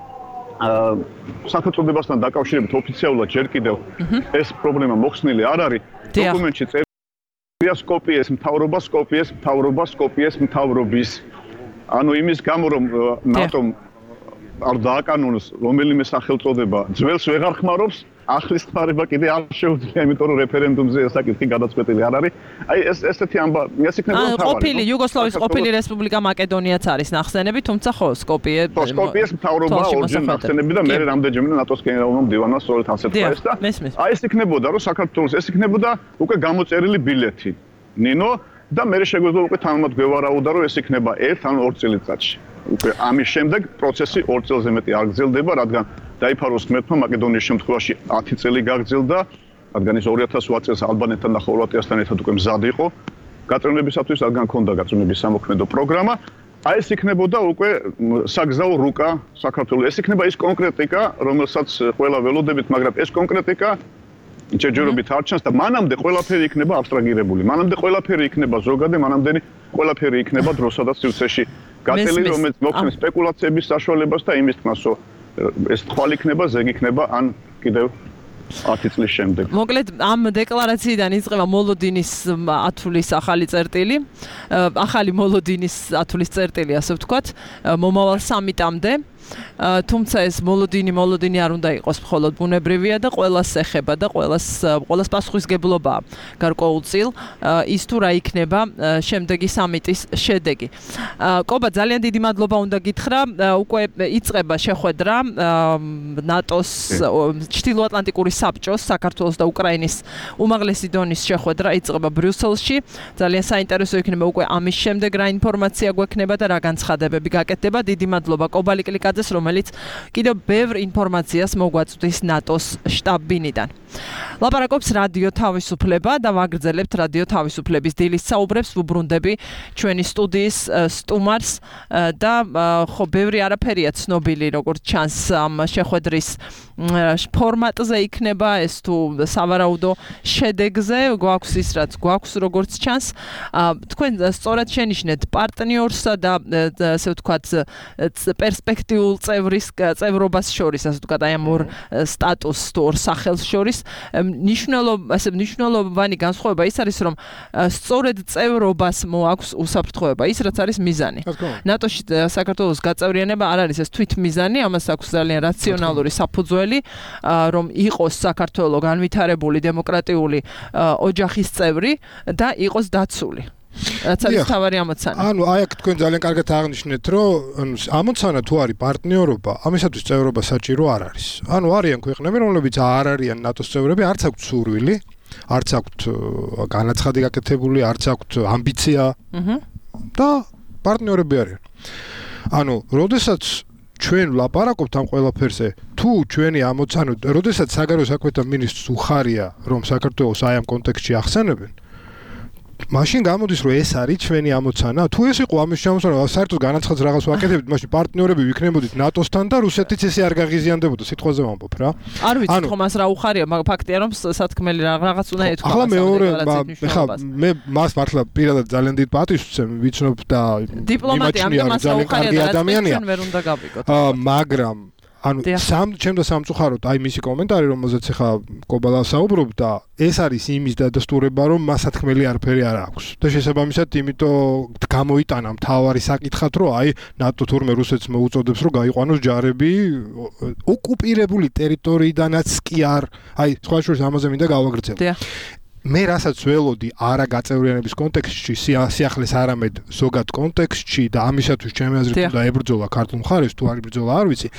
Speaker 8: სახელმწიფოებასთან დაკავშირებით ოფიციალურად ჯერ კიდევ ეს პრობლემა მოხსნილი არ არის დოკუმენტში წერია სკოპიეს მთავრობის ანუ იმის გამო რომ ნატომ არ დააკანონოს რომელიმე სახელწოდება ძველს ვეღარ ხმარობს ახლის ხმარება კიდე არ შეუძლია, იმიტომ რომ რეფერენდუმზე საკითხი გადაწყვეტილი არ არის. აი ესეთი ამბა, ეს იქნება თავარი.
Speaker 2: ყოფილი იუგოსლავიის ყოფილი რესპუბლიკა მაკედონიაც არის ნახსენები, თუმცა ხო,
Speaker 8: სკოპიეს მთავრობა ორჯერ ნახსენები და მე რამდენჯერმე ნატოს გენერალურმა მდივანმა სწორედ ასეთ ხარ და აი ეს იქნებოდა, რომ საქართველოს ეს იქნებოდა უკვე გამოწერილი ბილეთი. ნინო და მე შეგვიძლია უკვე თანამად გვევარაუდა, რომ ეს იქნება 1 ან 2 წელიწადში. უკვე ამის შემდეგ პროცესი 2 წელზე მეტი არ გრძელდება, რადგან დაიფაროს ღმერთმა მაკედონიის შემთხვევაში 10 წელი გაგრძელდა, რადგან ის 2008 წელს ალბანეთთან და ხორვატიასთან ერთად უკვე მზად იყო გაწმენდებისათვის, რადგან ჰქონდა გაწმენდების სამოქმედო პროგრამა. აი ეს იქნებოდა უკვე საგზაო რუკა საქართველოს. ეს იქნება ის კონკრეტიკა, რომელსაც ყველა ველოდებით, მაგრამ ეს კონკრეტიკა ჯერჯერობით არ ჩანს და მანამდე ყველაფერი იქნება აბსტრაგირებული. მანამდე ყველაფერი იქნება ზოგადად, მანამდე ყველაფერი იქნება დროსა და სივრცეში გაწეული, რომელიც მოხსნეს სპეკულაციების საშუალებას და იმის თქმას, რომ ეს თვალ იქნება, ზეგი იქნება ან კიდევ 10 წლის შემდეგ.
Speaker 2: მოკლედ ამ დეკლარაციიდან იწყება მოლოდინის ათვლის ახალი წერტილი, ახალი მოლოდინის ათვლის წერტილი, ასე ვთქვათ, მომავალ სამიტამდე. თუმცა ეს მოლოდინი არ უნდა იყოს მხოლოდ ბუნებრივია და ყველას ეხება და ყველას პასუხისგებლობაა გარკვეულწილ ის თუ რა იქნება შემდეგი სამიტის შედეგი. კობა, ძალიან დიდი მადლობა უნდა გითხრა. უკვე იწყება შეხვედრა ნატოს ჩრდილოატლანტიკური საბჭოს საქართველოს და უკრაინის უმაღლესი დონის შეხვედრა იწყება ბრიუსელში. ძალიან საინტერესო იქნება უკვე ამის შემდეგ რა ინფორმაცია გვექნება და რა განცხადებები გაკეთდება. დიდი მადლობა კობა ლიკლიაკაძეს, რომელიც კიდევ ბევრ ინფორმაციას მოგვაწვდის ნატოს შტაბ-ბინიდან. ლაპარაკობს რადიო თავისუფლება და ვაგრძელებთ რადიო თავისუფლების დილის საუბრებს, ვუბრუნდები ჩვენი სტუდიის სტუმარს და ხო ბევრი არაფერია ცნობილი, როგორც ჩანს ამ შეხვედრის ფორმატზე იქნება ეს თუ სავარაუდო შედეგზე გვაქვს ის რაც გვაქვს როგორც ჩანს. თქვენ სწორად შენიშნეთ პარტნიორსა და ასე ვთქვათ პერსპექტიულ წევრობას შორის, ასე ვთქვათ, აი ამ ორ სტატუსს თუ ორ სახელს შორის მნიშვნელოვანი განსხვავება ის არის, რომ სწორედ წევრობას მოაქვს უსაფრთხოება, ის რაც არის მიზანი. ნატოში საქართველოს გაწევრიანება არ არის ეს თვითმიზანი, ამას აქვს ძალიან რაციონალური საფუძველი, რომ იყოს საქართველო განვითარებული დემოკრატიული ოჯახის წევრი და იყოს დაცული. რაც არის თავარი ამოცანა.
Speaker 3: აი აქ თქვენ ძალიან კარგად აღნიშნეთ, რომ ამოცანა თუ არის პარტნიორობა, ამისათვის წევრობა საჭირო არ არის. არიან ქვეყნები, რომლებიც არ არიან ნატოს წევრები, არც აქვთ სურვილი, არც აქვთ განაცხადი გაკეთებული, არც აქვთ ამბიცია და პარტნიორები არიან. როდესაც ჩვენ ვლაპარაკობთ ამ ყველაფერზე, თუ ჩვენი ამოცანა, როდესაც საგარეო საქმეთა მინისტრს უხარია, რომ საქართველოს აი ამ კონტექსტში ახსენებენ, მაშინ გამოდის, რომ ეს არის ჩვენი ამოცანა. თუ ეს იყო ამის შემოსავალი, საერთოდ განაცხადს რაღაც ვაკეთებთ, მაშინ პარტნიორები ვიქნებოდით ნატოსთან და რუსეთიც ესე არ გაღიზიანდებოდა, სიტყვაზე ვამბობ რა.
Speaker 2: არ ვიცი ხომ მას რა უხარია, მაგრამ ფაქტია, რომ სათქმელი რაღაც უნდა ეთქვა.
Speaker 3: ახლა მეორე, მე მას მართლა პირადად ძალიან დიდ პატივს ვცემ, ვიცნობ და
Speaker 2: დიპლომატია ძალიან კარგი ადამიანია.
Speaker 3: მაგრამ ჩემ და სამწუხაროდ აი მისი კომენტარი, რომელზეც ახლა კობალა საუბრობდა, ეს არის იმის დადასტურება, რომ მას სათქმელი არაფერი არ აქვს. და შესაბამისად, იმიტომ გამოიტანა მთავარი საკითხად, რომ აი ნატო თურმე რუსეთს მოუწოდებს, რომ გაიყვანოს ჯარები ოკუპირებული ტერიტორიიდანაც კი არ, აი სხვა შორის ამაზე მინდა გავაგრძელო. მე რასაც ველოდი არა გაწევრიანების კონტექსტში, სიახლეს არამედ ზოგად კონტექსტში და ამისათვის ჩემი აზრით უნდა ებრძოლა ქართულ მხარეს, თუ არ იბრძოლა არ ვიცი.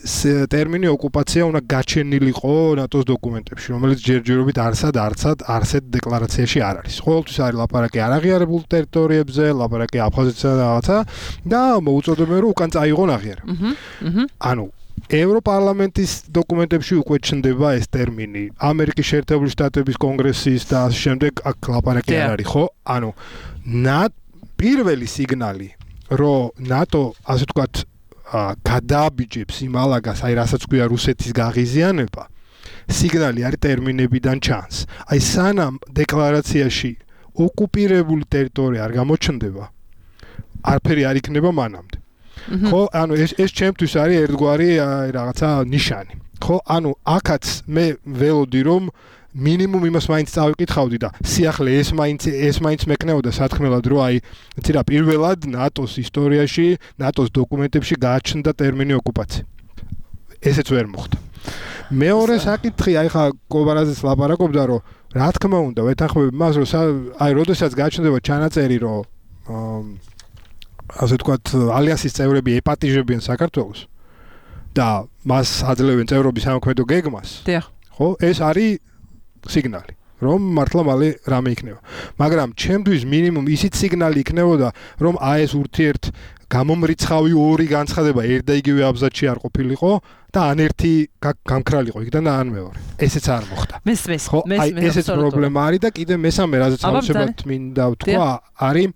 Speaker 3: ტერმინი ოკუპაცია უნდა გაჩენილიყო ნატოს დოკუმენტებში, რომელიც ჯერჯერობით არსად დეკლარაციაში არ არის. ყოველთვის არის ლაპარაკი არაღიარებულ ტერიტორიებზე, ლაპარაკი აფხაზეთსა და რაღაცა და მოუწოდებენ, რომ უკან წაიღონ აღიარება. ევროპარლამენტის დოკუმენტებში უკვე ჩნდება ეს ტერმინი. ამერიკის შეერთებული შტატების კონგრესის და ამ შემდეგ აქ ლაპარაკი არ არის, ხო? პირველი სიგნალი, რომ ნატო, ასე ვთქვათ, გადააბიჯებს იმ ალაგას, აი რასაც ქვია რუსეთის გაღიზიანება, სიგნალი არის ტერმინებიდან ჩანს. აი სანამ დეკლარაციაში ოკუპირებული ტერიტორია არ გამოჩნდება, არაფერი არ იქნება მანამდე. ხო, ეს ჩემთვის არის ერთგვარი რაღაცა ნიშანი. ხო, აქაც მე ველოდი, რომ მინიმუმ იმას მაინც წავიკითხავდი და სიახლე ეს მაინც მეკნეოდა სათქმელად, რომ აი იცი რა, პირველად ნატოს ისტორიაში, ნატოს დოკუმენტებში გააჩნდა ტერმინი ოკუპაცია. ესეც ვერ მოხდა. მეორე საკითხი, აი ხა კობარაძეს ლაპარაკობდა, რომ რა თქმა უნდა ვეთანხმები მას, რომ აი როდესაც გაჩნდება ჩანაწერი, რომ ასე ვთქვათ, ალიანსის წევრები ეპატიჟებიან საქართველოს და მას აძლევენ წევრობის სამოქმედო გეგმას. ხო, ეს არის სიგნალი, რომ მართლა მალე რამე იქნება. მაგრამ ჩემთვის მინიმუმ ისიც სიგნალი იქნებოდა, რომ აი ეს ურთიერთ გამომრიცხავი ორი განცხადება ერთ და იგივე აბზაცში არ ყოფილიყო და ან ერთი გამქრალიყო იქიდან და ან მეორე. ესეც არ მოხდა. ხო, აი ესეც პრობლემა არის და კიდე მესამე რაზეც ავსებად მინდა ვთქვა, არის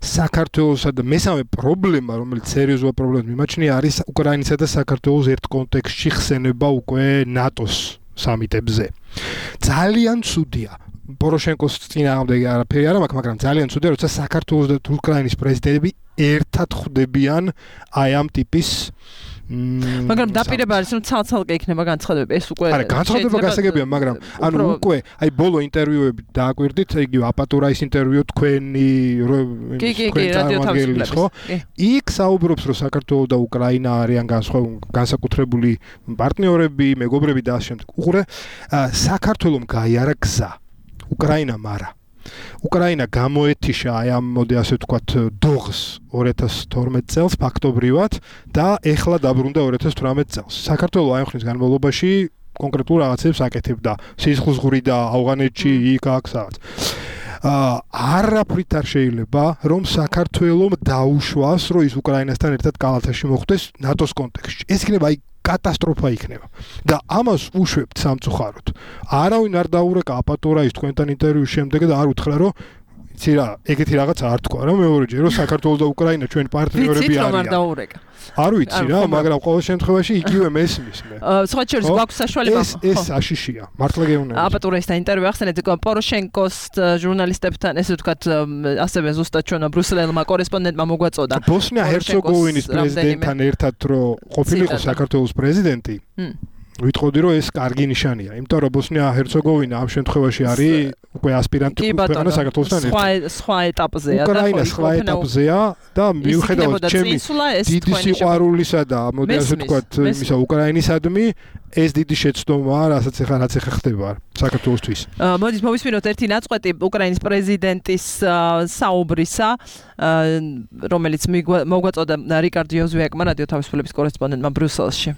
Speaker 3: საქართველოსა და მესამე პრობლემა, რომელიც სერიოზული პრობლემა მიმაჩნია, არის უკრაინისა და საქართველოს ერთ კონტექსტში ხსენება უკვე ნატოს სამიტებზე. ძალიან ცუდია. პოროშენკოს წინააღმდეგი არაფერი არა მაქვს, მაგრამ ძალიან ცუდია, როცა საქართველოს და უკრაინის პრეზიდენტები ერთად ხვდებიან აი ამ ტიპის
Speaker 2: მაგრამ დაპირება არის რომ ცალ-ცალკე იქნება განცხადებები ეს უკვე
Speaker 3: არა განცხადება გასაგებია მაგრამ ანუ უკვე აი ბოლო ინტერვიუები დააკვირდით იგივე აპატურაის ინტერვიუ თქვენი
Speaker 2: რადიოთავისუფლების ხო
Speaker 3: იქ საუბრობს რომ საქართველოს და უკრაინა არიან განსაკუთრებული პარტნიორები მეგობრები და ასე შემდეგ უყურე საქართველოს გაიარა გზა უკრაინამ არა უკრაინა გამოეთიშა აი ამ მოდი ასე ვთქვათ დოღს 2012 წელს ფაქტობრივად და ეხლა დაბრუნდა 2018 წელს. საქართველოს აი ხნის განმავლობაში კონკრეტულ რაღაცებს აკეთებდა. სისხლძღვრი და ავღანეთში იქ აქ სადაც. არაფრით არ შეიძლება რომ საქართველოს დაუშვას რომ ის უკრაინასთან ერთად კალათაში მოხვდეს ნატოს კონტექსტში. ეს იქნება აი კატასტროფა იქნება და ამას უშვებთ სამწუხაროდ. არავინ არ დაურეკა აპატურაის თქვენთან ინტერვიუს შემდეგ და არ უთხრა რომ იცი რა, ეგეთი რაღაც არ თქვა რა მეორეჯერ რომ საქართველოს და უკრაინა ჩვენ პარტნიორები არიან.
Speaker 2: არ დაურეკა.
Speaker 3: არ ვიცი რა, მაგრამ ყოველ შემთხვევაში იგივე მესმის მე.
Speaker 2: სხვა შორის გვაქვს საშუალება.
Speaker 3: ეს აშიშია, მართლა გეუბნები.
Speaker 2: აპატურაისთან ინტერვიუ ახსენეთ პოროშენკოს ჟურნალისტებთან, ესე ვთქვათ, ასევე ზუსტად ჩვენო ბრუსელელმა კორესპონდენტმა მოგვაწოდა.
Speaker 3: ბოსნია-ჰერცეგოვინის პრეზიდენტთან ერთად რო ყოფილიყო საქართველოს პრეზიდენტი. ვიტყოდი რომ ეს კარგი ნიშანია, იმიტომ რომ ბოსნია-ჰერცეგოვინა ამ შემთხვევაში არის უკვე ასპირანტი ქვეყანა საქართველოსთან ერთად.
Speaker 2: სხვა ეტაპზეა და
Speaker 3: უკრაინა სხვა ეტაპზეა და მიუხედავად ჩემი დიდი სიყვარულისა და მოდი ასე ვთქვათ იმისა უკრაინისადმი ეს დიდი შეცდომაა, რასაც ეხლა ხდება საქართველოსთვის.
Speaker 2: მოდით მოვისმინოთ ერთი ნაწყვეტი უკრაინის პრეზიდენტის საუბრისა, რომელიც მოგვაწოდა რიკარდ იოზვიაკმა რადიო თავისუფლების კორესპონდენტმა ბრიუსელში.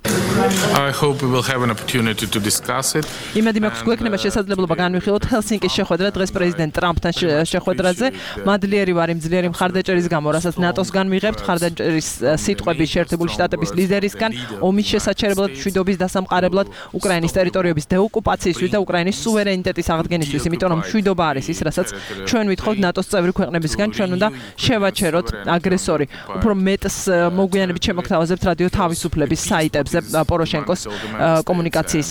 Speaker 9: I hope we will have an opportunity to discuss it.
Speaker 2: იმედი მაქვს გვექნება შესაძლებლობა განვიხილოთ ჰელსინკის შეხვედრა დღეს პრეზიდენტ ტრამპთან შეხვედრაზე. მადლიერი ვარ იმ ძლიერი მხარდაჭერის გამო, რასაც ნატოსგან მიღებთ, მხარდაჭერის სიტყვები შეერთებული შტატების ლიდერისგან, ომის შესაჩერებლად, მშვიდობის დასამყარებლად, უკრაინის ტერიტორიების დეოკუპაციისთვის და უკრაინის სუვერენიტეტის აღდგენისთვის, იმიტომ რომ მშვიდობა არის ის, რასაც ჩვენ ვითხოვთ ნატოს წევრი ქვეყნებისგან, ჩვენ უნდა შევაჩეროთ აგრესორი. უფრო მეტს მოგვიანებით შემოგთავაზებთ რადიო თავისუფლების საიტებზე პოროშენკოს კომუნიკაციის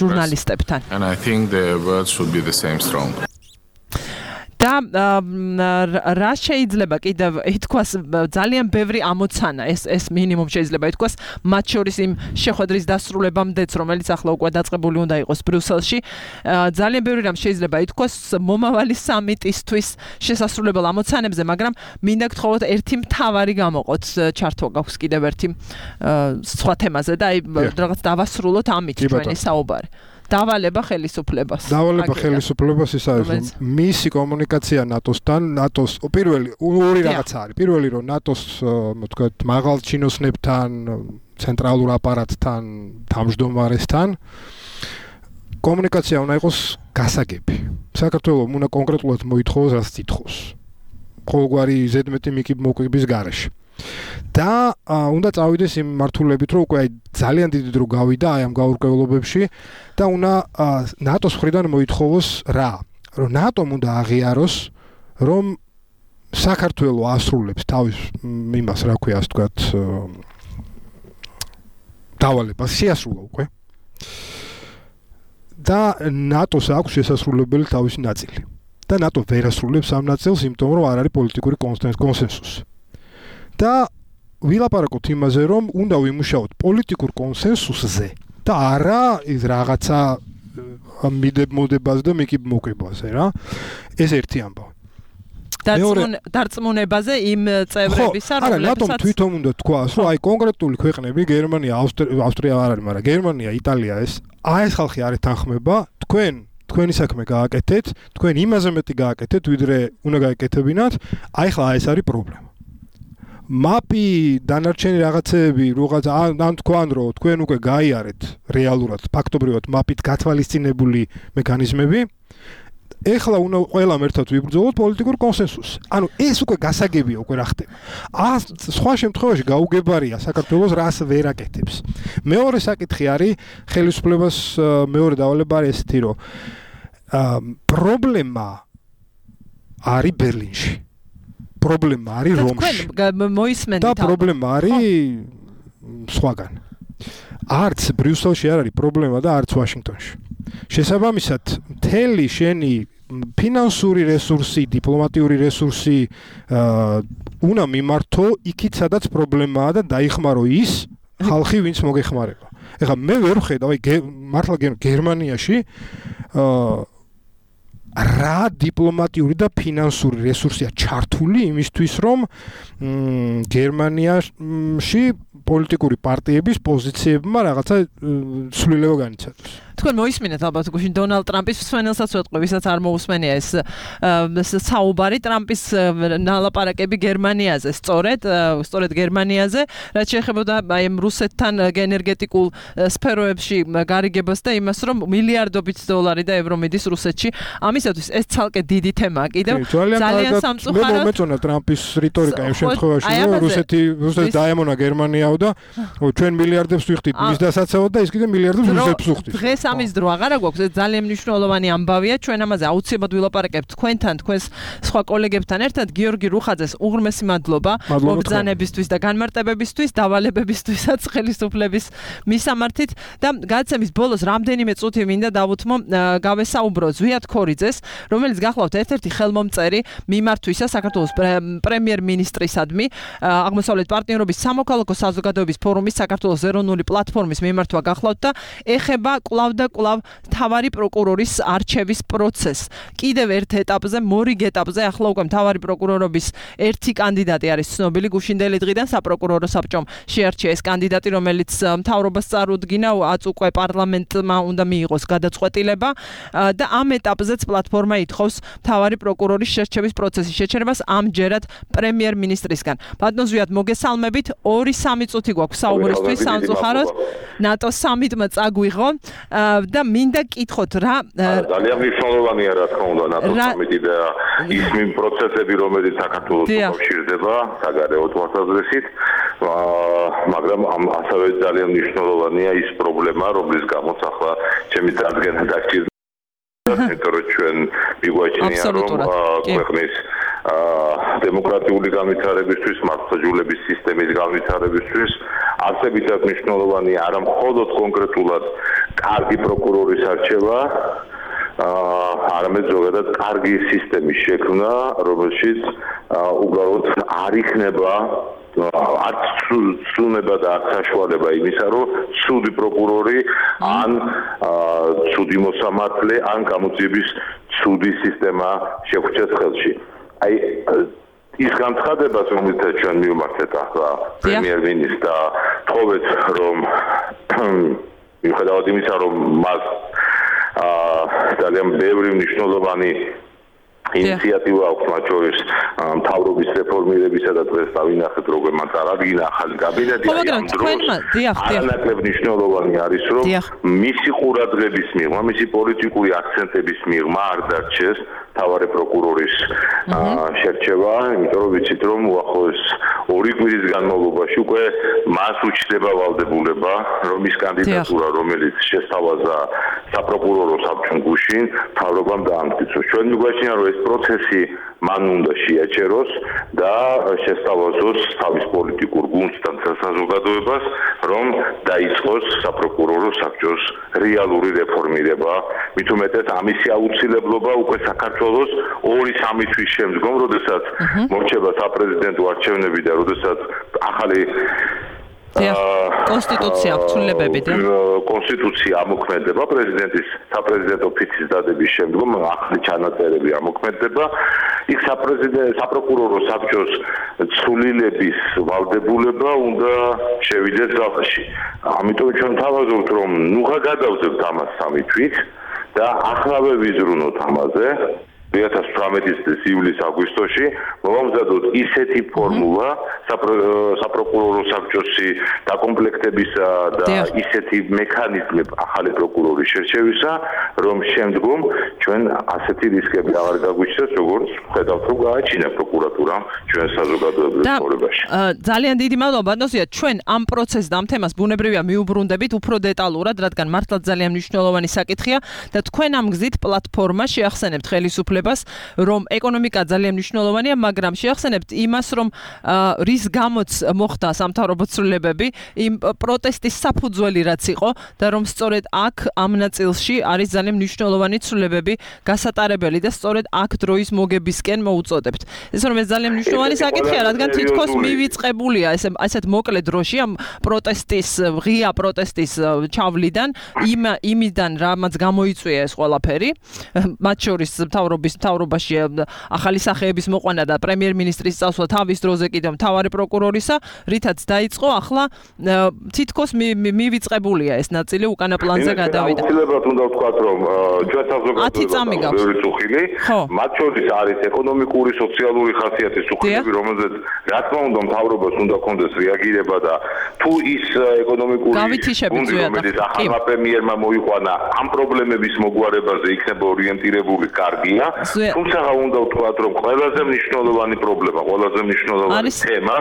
Speaker 2: ჟურნალისტებთან.
Speaker 9: And I think the words should be the same strong.
Speaker 2: და რა შეიძლება კიდევ ითქვას ძალიან ბევრი ამოცანა ეს მინიმუმ შეიძლება ითქვას მათ შორის იმ შეხვედრის დასრულებამდეც რომელიც ახლა უკვე დაწყებული უნდა იყოს ბრიუსელში ძალიან ბევრი რამ შეიძლება ითქვას მომავალი სამიტისთვის შესასრულებელ ამოცანებზე მაგრამ მინდა გთხოვოთ ერთი მთავარი გამოყოთ ჩართვა გაქვს კიდევ ერთი სხვა თემაზე და აი რაღაც დავასრულოთ ამით ჩვენი საუბარი დავალება ხელისუფლებას.
Speaker 3: დავალება ხელისუფლებას ის არის რომ მისი კომუნიკაცია ნატოსთან, ნატოს პირველი ორი რაღაცა არის. პირველი რომ ნატოს თქვათ მაღალ ჩინოსნებთან, ცენტრალურ აპარატთან, თავმჯდომარესთან კომუნიკაცია უნდა იყოს გასაგები. საქართველოს უნდა კონკრეტულად მოითხოვოს რაც ითხოვს. ყოველგვარი ზედმეტი მოკიდების გარეშე. და უნდა წავიდეს იმ მართულებით რომ უკვე ძალიან დიდი დრო გავიდა აი ამ გაურკვევლობებში და უნდა ნატოს მხრიდან მოითხოვოს რა რომ ნატომ უნდა აღიაროს რომ საქართველოს ასრულებს თავის იმას რა ქვია ასე ვთქვათ დავალებას შეასრულა უკვე და ნატოს აქვს შესასრულებელი თავისი ნაწილი და ნატო ვერ ასრულებს ამ ნაწილს იმიტომ რომ არ არის პოლიტიკური კონსენსუსი და ვილაპარაკოთ იმაზე, რომ უნდა ვიმუშაოთ პოლიტიკურ კონსენსუსზე და არა ის რაღაცა მიდემოდებას და მოკიბაზე რა. ეს ერთი ამბავი.
Speaker 2: დარწმუნებაზე იმ წევრებისა,
Speaker 3: რომლებსაც არა, ნატომ თვითონ უნდა თქვას, რომ აი კონკრეტული ქვეყნები, გერმანია, ავსტრია არ არის, მაგრამ გერმანია, იტალია ეს ხალხი არ ეთანხმება, თქვენი საქმე გააკეთეთ, თქვენ იმაზე მეტი გააკეთეთ, ვიდრე უნდა გააკეთებინათ, აი ხლა ეს არის პრობლემა. მაპი დანარჩენი რაღაცეები რაღაც ან თქვან რომ თქვენ უკვე გაიარეთ რეალურად ფაქტობრივად მაპით გათვალისწინებული მექანიზმები ეხლა უნდა ყველამ ერთად ვიბრძოლოთ პოლიტიკურ კონსენსუსს ანუ ეს უკვე გასაგებია უკვე რა ხდება სხვა შემთხვევაში გაუგებარია საქართველოს რას ვერ აკეთებს მეორე საკითხი არის ხელისუფლებას მეორე დავალება არის ესეთი რომ პრობლემა არის ბერლინში პრობლემა არის რომში
Speaker 2: მოისმენთ
Speaker 3: და პრობლემა არის სხვაგან არც ბრიუსელში არ არის პრობლემა და არც ვაშინგტონში. შესაბამისად, მთელი შენი ფინანსური რესურსი, დიპლომატიური რესურსი უნდა მიმართო იქით, სადაც პრობლემაა და დაიხმარო ის ხალხი, ვინც მოგეხმარება. ეხლა მე ვერ ვხედავ, მართლა გერმანიაში რა დიპლომატიური და ფინანსური რესურსია ჩართული იმისთვის, რომ გერმანიაში პოლიტიკური პარტიების პოზიციებმა რაღაცა ცვლილება განიცადოს.
Speaker 2: თქვენ მოისმინეთ ალბათ გუშინ დონალდ ტრამპის მსმენელსაც ვეთყვი, ვისაც არ მოусმენია ეს საუბარი ტრამპის ნალაპარაკები გერმანიაზე, სწორედ გერმანიაზე, რაც შეეხებოდა აი რუსეთთან ენერგეტიკულ სფეროებში გარიგებას და იმას, რომ მილიარდობით დოლარი და ევრო მიდის რუსეთში. ამისათვის ეს ცალკე დიდი თემაა კიდევ. ძალიან სამწუხაროდ
Speaker 3: მე მომეწონა ტრამპის რიტორიკა იმ შემთხვევაში, რომ რუსეთი დაემონა გერმანიაო და ჩვენ მილიარდებს ვიხდით მის დასაცავად და ის კიდე მილიარდებს რუსეთს უხდით.
Speaker 2: ამის დრო აღარა გვაქვს, ეს ძალიან მნიშვნელოვანი ამბავია, ჩვენ ამაზე აუცილებლად ვილაპარაკებთ თქვენთან, თქვენს სხვა კოლეგებთან ერთად. გიორგი რუხაძეს უღრმესი მადლობა მოგზანებისთვის და განმარტებებისთვის, დავალებებისთვისაც ხელისუფლების მისამართით და გადაცემის ბოლოს რამდენიმე წუთი მინდა დავუთმო გავესაუბრო ზვიად ქორიძეს, რომელიც გახლავთ ერთ-ერთი ხელმომწერი მიმართვისა საქართველოს პრემიერ-მინისტრისადმი, აღმოსავლეთ პარტნიორობის სამოქალაქო საზოგადოების ფორუმის საქართველოს ეროვნული პლატფორმის მიმართვა გახლავთ და ეხება კვლავ და კვლავ მთავარი პროკურორის არჩევის პროცესს. კიდევ ერთ ეტაპზე, მორიგ ეტაპზე, ახლა უკვე მთავარი პროკურორობის ერთი კანდიდატი არის ცნობილი, გუშინდელი დღიდან საპროკურორო საბჭომ შეარჩია ეს კანდიდატი, რომელიც მთავრობას წარუდგინა, უკვე პარლამენტმა უნდა მიიღოს გადაწყვეტილება და ამ ეტაპზეც პლატფორმა ითხოვს მთავარი პროკურორის შერჩევის პროცესის შეჩერებას ამჯერად პრემიერ-მინისტრისგან. ბატონ ზვიად, მოგესალმებით. 2-3 წუთი გვაქვს საუბრისთვის სამწუხაროდ. ნატო სამიტმა წაგვიღო და მინდა კითხოთ რა
Speaker 10: ძალიან მნიშვნელოვანია რა თქმა უნდა ნატო სამიტი და ის პროცესები რომელიც საქართველოს უკავშირდება საგარეო თვალსაზრისით მაგრამ ასევე ძალიან მნიშვნელოვანია ის პრობლემა რომლის გამოც ახლა ჩემი წარდგენა დაგჭირდა იმიტომ რომ ჩვენ მიგვაჩნია რომ ქვეყნის დემოკრატიული განვითარებისთვის, მართლმსაჯულების სისტემის განვითარებისთვის არსებითად მნიშვნელოვანია არა მხოლოდ კონკრეტულად კარგი პროკურორის არჩევა, არამედ ზოგადად კარგი სისტემის შექმნა, რომელშიც უბრალოდ არ იქნება არც ცუნება და არც საშუალება იმისა, რომ ცუდი პროკურორი ან ცუდი მოსამართლე ან გამოძიების ცუდი სისტემა შეგვჭეს ხელში. აი ის განცხადებას რომელსაც ჩვენ მივმართეთ ახლა პრემიერ-მინისტრს და თხოვეთ რომ მიუხედავად იმისა რომ მას ძალიან ბევრი მნიშვნელოვანი ინიციატივა აქვს მათ შორის მთავრობის რეფორმირებისა და დღეს დავინახეთ როგორ მან წარადგინა ახალი კაბინეტი ამ დროს არანაკლებ მნიშვნელოვანი არის რომ მისი ყურადღების მიღმა მისი პოლიტიკური აქცენტების მიღმა არ დარჩეს მთავარი პროკურორის შერჩევა იმიტომ რომ ვიცით რომ უახლოეს 2 კვირის განმავლობაში უკვე მას უჩნდება ვალდებულება რომ ის კანდიდატურა რომელიც შესთავაზა საპროკურორო საბჭომ გუშინ მთავრობამ დაამტკიცოს ჩვენ მიგვაჩნია რომ ეს პროცესი მან უნდა შეაჩეროს და შესთავაზოს თავის პოლიტიკურ გუნდთან საზოგადოებას რომ დაიწყოს საპროკურორო საბჭოს რეალური რეფორმირება მით უმეტეს ამისი აუცილებლობა უკვე საქართველოს 2-3 თვის შემდგომ როდესაც მორჩება საპრეზიდენტო არჩევნები და როდესაც ახალი
Speaker 2: კონსტიტუცია ცვლილებები და
Speaker 10: კონსტიტუცია ამოქმედება პრეზიდენტის საპრეზიდენტო ფიცის დადების შემდგომ ახალი ჩანაწერები ამოქმედება იქ საპროკურორო საბჭოს ცვლილების ვალდებულება უნდა შევიდეს ძალაში ამიტომ ჩვენ თავაზობთ რომ ნუღა გადავზევთ ამას 3 თვით და ახლავე ვიზრუნოთ ამაზე 2018 ივლիս-აგვისტოში მოვამზადოთ ისეთი ფორმულა საპროკურორო საბჭოსი დაკომპლექტებისა და ისეთი მექანიზმი ახალი პროკურორის შერჩევისა, რომ შემდგომ ჩვენ ასეთი რისკები აღარ გაგვიჩნდეს, როგორც ხედავთ, რომ გააჩინა პროკურატურამ ჩვენ საზოგადოებრივ ცხოვრებაში.
Speaker 2: ძალიან დიდი მადლობა, ბატონო, ჩვენ ამ პროცესს და ამ თემას ბუნებრივია მიუბრუნდებით უფრო დეტალურად, რადგან მართლა ძალიან მნიშვნელოვანი საკითხია და თქვენ ამ გზით პლატფორმა შეახსენებთ ხელისუფლებას ცვლილებას, რომ ეკონომიკა ძალიან მნიშვნელოვანია, მაგრამ შეახსენებთ იმას, რომ რის გამოც მოხდა სამთავრობო ცვლილებები, იმ პროტესტის საფუძველი რაც იყო და რომ სწორედ აქ ამ ნაწილში არის ძალიან მნიშვნელოვანი ცვლილებები გასატარებელი და სწორედ აქ დროის მოგებისკენ მოუწოდებთ. ეს რომ ეს ძალიან მნიშვნელოვანი საკითხია, რადგან თითქოს მივიწყებულია ესეთ მოკლე დროში ამ პროტესტის, ღია პროტესტის ჩავლიდან, იმიდან რამაც გამოიწვია ეს ყველაფერი, მათ შორის მთავრობაში ახალი სახეების მოყვანა და პრემიერ-მინისტრის წასვლა თავის დროზე კიდევ მთავარი პროკურორისა, რითაც დაიწყო, ახლა თითქოს მივიწყებულია ეს ნაწილი უკანა პლანზე გადავიდა.
Speaker 10: აუცილებლად უნდა ვთქვათ, რომ ჩვენ საზოგადოებაში ბევრი წუხილი, მათ შორის არის ეკონომიკური, სოციალური ხასიათის წუხილები, რომელზეც რა თქმა უნდა მთავრობას უნდა კონდეს რეაგირება და თუ ის ეკონომიკური გუნდი, რომელიც ახალმა პრემიერმა მოიყვანა, ამ პრობლემების მოგვარებაზე იქნება ორიენტირებული, კარგია. თუმცა უნდა ვთქვათ, რომ ყველაზე მნიშვნელოვანი პრობლემა, ყველაზე მნიშვნელოვანი თემა